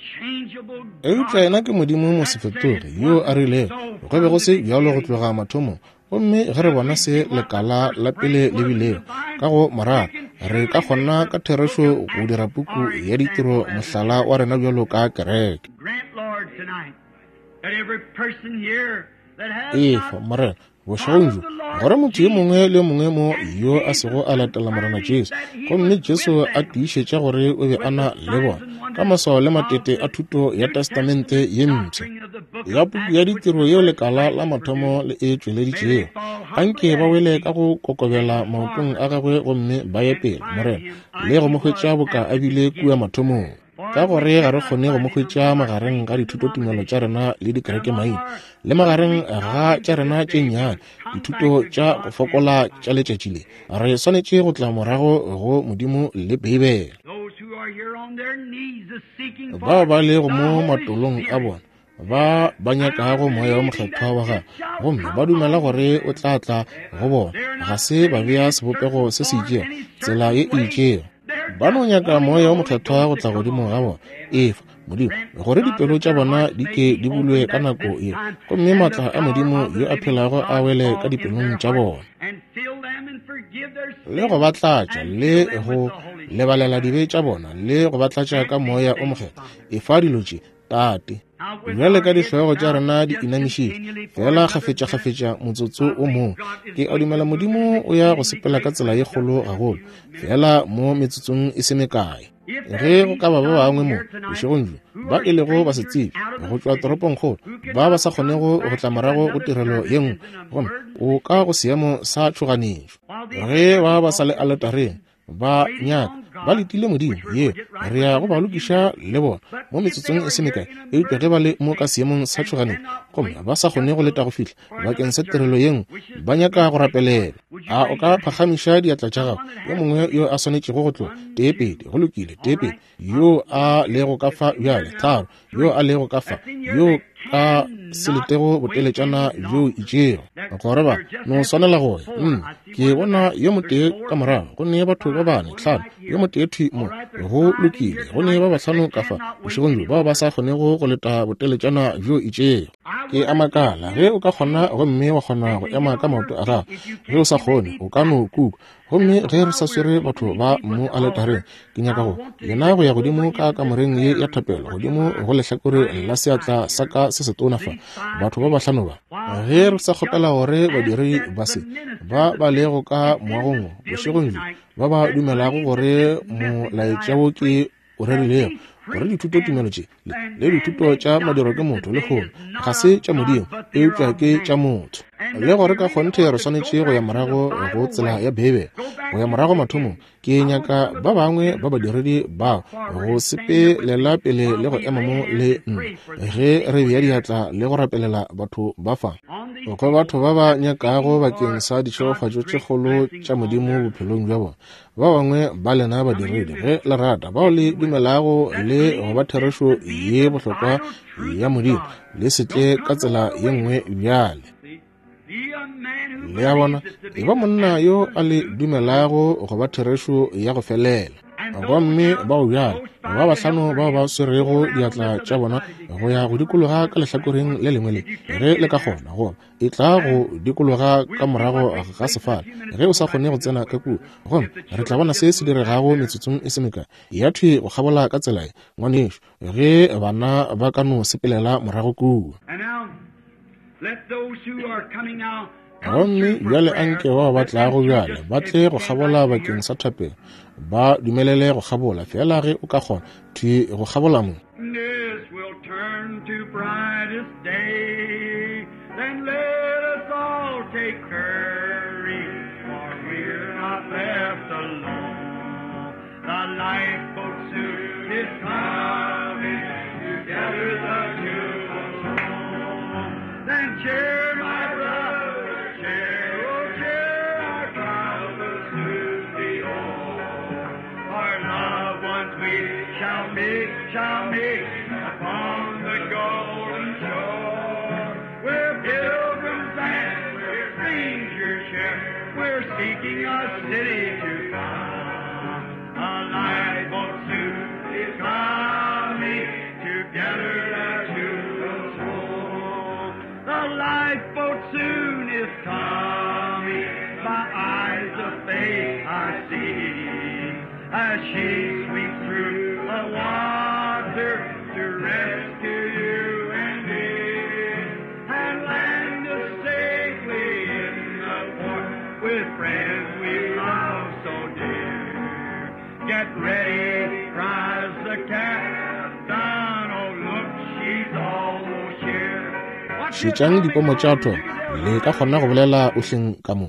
unchangeable Eupša God yena ke Modimo that said mosefetoge it yo a wasn't rilego so go be go from the se bjalo go beginning. tloga mathomong. Gomme ge re If bona we se see what the lekala first la branch pele le was in the bilego vine, ka go we morara, can re ka truly make kgona the ka book therešo of go dira Acts puku our ya ditiro example as a mohlala church. wa rena bjalo ka kereke. Grant, Lord, tonight that every person here that has Efa, not Morena, bošegong followed bjo, the Lord gore motho yo mongwe Jesus le yo mongwe mo and yo a sego Jesus a latela Morena confirming Jesu, that he gomme was Jesu with a them tiišetša gore o be a with na the le signs bona and ka wonders maswao le of matete the a thuto ya New Testamente Testament ye mpsha doctrine of the book ya of puku ya Acts, which ditiro the yeo first lekala la branch mathomo produced. le e May they tšweleditšego. fall Anke humbly ba at his wele feet ka go kokobela and maotong marvel a gagwe gomme ba ye and pele, find Morena, him le like go he mo hwetša was boka at a the bile kua beginning. mathomong. For Ka we gore ga re cannot kgone go find mo him hwetša among our magareng creeds ga and dithutotumelo tša denominations rena le and among dikerekemaina, our le little magareng weak ga doctrines tša of rena this tše day. We nnyane, must come back dithuto to tša go God and fokola the tša Bible. letšatši le. Re swanetše go tla morago go Modimo le Beibele. Those who are here on their knees is seeking Bao for ba lego the mo Holy matolong a Spirit bona, ba ba and are nyakago Moya wo believing Mokgethwa that wa it gagwe, shall gomme ba come dumela on gore o them. tla tla go bona, They're ga not se ba sitting bea in a sebopego certain se se form, itšego, any tsela ye certain e way. itšego. They're Ba no just nyaka wanting the Moya wo Holy Mokgethwa Ghost go to tla come godimo on ga them. bona. Efa, Modimo, Grant, gore God, dipelo that tša their bona hearts di may ke be di bulwe opened ka at nako this ye, time, gomme and the maatla a power Modimo of the yo a living phelago a God wele ka fall in dipelong their tša hearts bona, and fill them and forgive their le go sins ba tlatša and le fill them go with the Holy Spirit. lebalela dibe tša bona le go ba tlatša ka Grant these Moya o things, Mokgethwa. Father. Efa dilo tše, Tate. Now, with Bjale our ka heads dihlogo tša bowed rena di just inamišitše, continually for fela another minute, kgafetša-kgafetša motsotso I o think mongwe, God is ke a going to dumela move in Modimo an o ya go exceedingly sepela ka great tsela way ye just kgolo in a gagolo, few minutes. fela mo metsotsong e se mekae. If there Ge go be ka ba ba some bangwe mo here tonight bošegong bjo who ba are e lego ba se strangers tsebe out of go the tšwa city, toropongkgolo, who ba ba cannot sa come kgonego go back tla to morago go another tirelo service ye nngwe, is an gomme emergency o ka go state, seemo sa tšhoganetšo. while these Ge are ba at ba the sa le altar aletareng, ba waiting nyaka on ba God, letile Modimo, which we're yeo going to get right re ya with go in ba a few lokiša minutes. le bona But mo if they metsotsong e are se here mekae. in an Eupša ge ba le emergency mo ka state seemong sa and tšhoganetšo cannot gomme wait ba sa kgone just go a leta little go fihla for bakeng another sa tirelo service, ye nngwe, which is ba to nyaka be go waited for, rapelela. would you A o raise ka your hand? phagamiša diatla tša gago? Someone that Yo has mongwe to yo leave. a swanetšego go tloga, One, tee two, pedi, go lokile, tee all pedi. right. Yo Uh, a one, lego two. ka It's fa in here bjale, now. tharo. Yo Three. a lego ka fa, That's in here yo that ka se letego boteletšana bjo itšego, gore ba no swanela go ya. Mm, ke bona yo motee ka morago, go ne batho ba bane, tlhano, yo motee thwi mo, go lokile, go ne ba bahlano ka fa bošegong bjo bao ba sa kgonego go leta boteletšana bjo itšego. Ke a makala ge o ka kgona gomme wa kgona go ema ka maoto a gago. Ge o sa kgone, o ka no kuka. Gomme ge re sa swere batho ba mo aletareng, ke nyaka go lena go ya godimo ka kamoreng ye ya thapelo, godimo go lehlakore la seatla sa ka se setona fa, batho ba bahlano ba. Ge re sa kgopela gore badiri ba se ba ba lego ka moagong bošegong bjo, ba ba dumelago gore molaetša wo ke o rerilego, gore dithuto tumelo tše le dithuto tša madiro ke motho lehono ga se tša Modimo, eupša ke tša motho, le gore ka kgonthe re swanetše go ya morago go tsela ya Beibele, go ya morago mathomong. Ke nyaka ba bangwe ba badiredi bao go sepelela pele le go ema mo le nna ge re bea diatla le go rapelela batho ba fa, go batho ba ba nyakago bakeng sa ditšhegofatšo tše kgolo tša Modimo bophelong bja bona. Ba bangwe ba lena badiredi, ge le rata, bao le dumelago le go ba therešo ye bohlokwa ya Modimo, le se tle ka tsela ye nngwe bjale. Le a bona, e ba monna yo a le dumelago go ba therešo ya go felela. Gomme bao bjale ba bahlano bao ba swerego diatla tša bona go ya go dikologa ka lehlakoreng le lengwe le, ge le ka kgona, goba e tla go dikologa ka morago ga sefala ge o sa kgone go tsena ka kua. Gomme re tla bona se se diregago metsotsong e se mekae ya thwi go kgabola ka tsela ye, ngwanešo, ge bana ba ka no sepelela morago kua. Gomme bjale anke bao ba tlago bjale ba tle go kgabola bakeng sa thapelo, ba dumelele go kgabola fela ge o ka kgona thwi go kgabola mo. Cheer, my brother, cheer, oh, cheer, our trials will soon be o'er. Our loved ones we shall meet, shall meet upon the golden shore. We're pilgrims and we're strangers here, we're seeking a city to come. A lifeboat soon is coming, together the two will soar. The lifeboat soon is coming, my eyes of faith I see, as she sweeps through the water to rescue you and me, and land us safely in the port with friends we love so dear. Get ready, cries the captain, oh look, she's almost here. Šetšang dipomo tša tho, le ka kgona go bolela ohleng ka mo.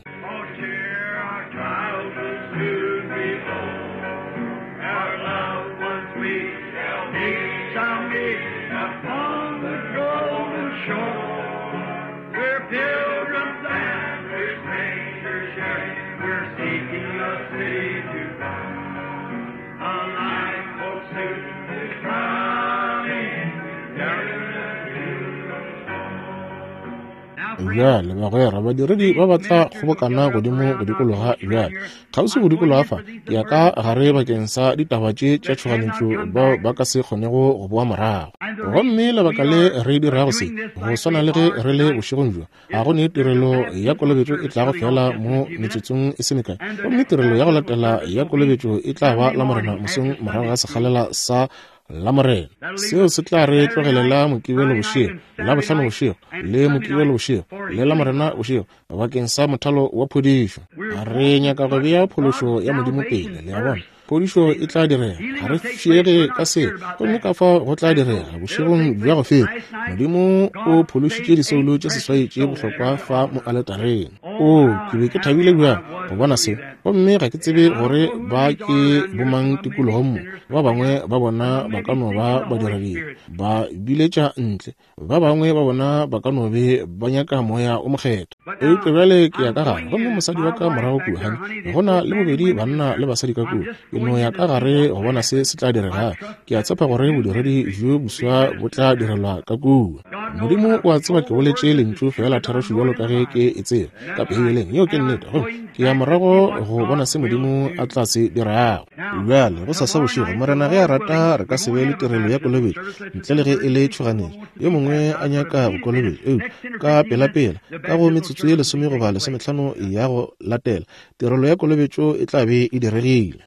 Bjale bagwera badiredi ba ba tla kgobokana godimo go dikologa bjale kgauswi go dikologa fa, ke ya ka gare bakeng sa ditaba tše tša tšhoganetšo bao ba ka se kgonego go boa morago. Gomme lebaka le re dirago se go swana le ge re le bošegong bjo, ga go ne tirelo ya kolobetšo e tlago fela mo metsotsong e se mekae, gomme tirelo ya go latela ya kolobetšo e tla ba Lamorena mosong morago ga sekgalela sa Lamorena. Seo se tla re tlogelela Mokibelo bošego, Labohlano bošego, le Mokibelo bošego, le Lamorena bošego bakeng sa mothalo wa phodišo. Re nyaka go bea phološo ya Modimo pele, le a bona. Phodišo e tla direga, ga re fiege ka se, gomme ka fao go tla direga bošegong bja go feta. Modimo o phološitše disoulo tše seswai tše bohlokwa fa mo aletareng. O, ke be ke thabile bjang go bona se, gomme ga ke tsebe gore ba ke bomang tikologong mo. Ba bangwe ba bona ba ka no ba badiradibe, ba biletša ntle, ba bangwe ba bona ba ka no be ba nyaka moya o mokgethwa. Eupša bjale ke ya ka gare, gomme mosadi wa ka morago kua, honey, go na le bobedi banna le basadi ka kua. Ke no ya ka gare go bona se se tla direga. Ke a tshepa gore bodiredi bjo boswa bo tla direlwa ka kua. Modimo o a tseba ke boletše lentšu fela therešo bjalo ka ge ke e tseba ka Beibeleng. Yeo ke nnete. Gomme ke ya morago go bona se Modimo a tla se dirago. Bjale gosasa bošego, Morena ge a rata, re ka se be le tirelo ya kolobetšo ntle le ge e le tšhoganetšo, yo mongwe a nyaka go kolobetšo. Eupša ka pelapela, ka go metsotso ye lesome goba lesomehlano ya go latela, tirelo ya kolobetšo e tla be e diregile.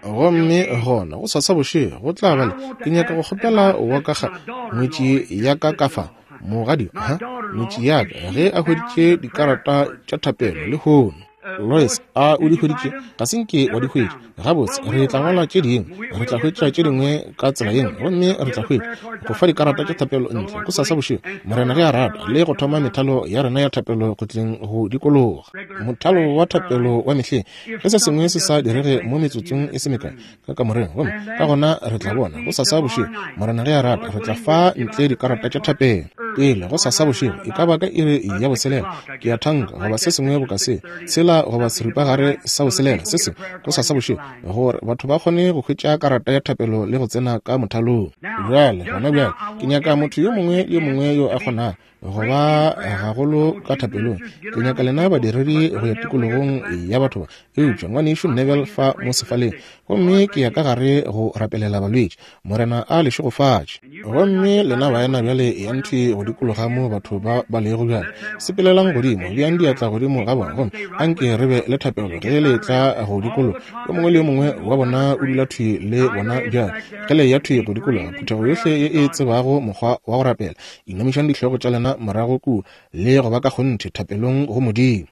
Gomme gona gosasa bošego go tla ba le, ke nyaka go kgopela wa ka ga ngwetši ya ka ka fa, mogadi, ha ngwetši ya ka, ge a hweditše dikarata tša thapelo lehono. Lois, a o di hweditše? Ga se nke wa di hwetša. Gabotse, re tla ngwala tše dingwe, re tla hwetša tše dingwe ka tsela ye nngwe, gomme re tla hwetša go fa dikarata tša thapelo ntle gosasa bošego, Morena ge a rata, le go thoma methalo ya rena ya thapelo go tleng go dikologa. Mothalo wa thapelo wa mehleng, ge se sengwe se sa direge mo metsotsong e se mekae ka kamoreng, gomme ka gona re tla bona gosasa bošego, Morena ge a rata, re tla fa ntle dikarata tša thapelo. Pele gosasa bošego, e ka ba ka iri ya boselela, ke ya thanka, goba se sengwe boka se, tshela goba seripagare sa boselela, se sengwe gosasa bošego, gore batho ba kgone go hwetša karata ya thapelo le go tsena ka mothalong. Bjale, gona bjale, ke nyaka motho yo mongwe le yo mongwe yo a kgonago go ba gagolo ka thapelong. Ke nyaka lena badiredi go ya tikologong ya batho ba, eupša ngwanešu Neville fa mo sefaleng, gomme ke ya ka gare go rapelela balwetši. Morena a le šegofatše. Gomme lena baena bjale ya nthwi go dikologa mo batho ba ba lego bjale, sepelelang godimo, beang diatla godimo ga bona, gomme anke re be le thapelo ge le tla go dikologa. Yo mongwe le yo mongwe wa bona o dula thwi le bona bjale. Ge le ya thwi go dikologa, phuthego yohle ye e tsebago mokgwa wa go rapela, inamišang dihlogo tša lena morago kua le go ba ka kgonthe thapelong go Modimo,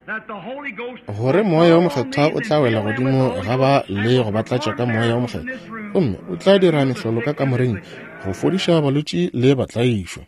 gore Moya wo Mokgethwa o tla wela godimo ga ba le go ba tlatša ka Moya wo Mokgethwa, gomme o tla dira mehlolo ka kamoreng go fodiša balwetši le batlaišwa.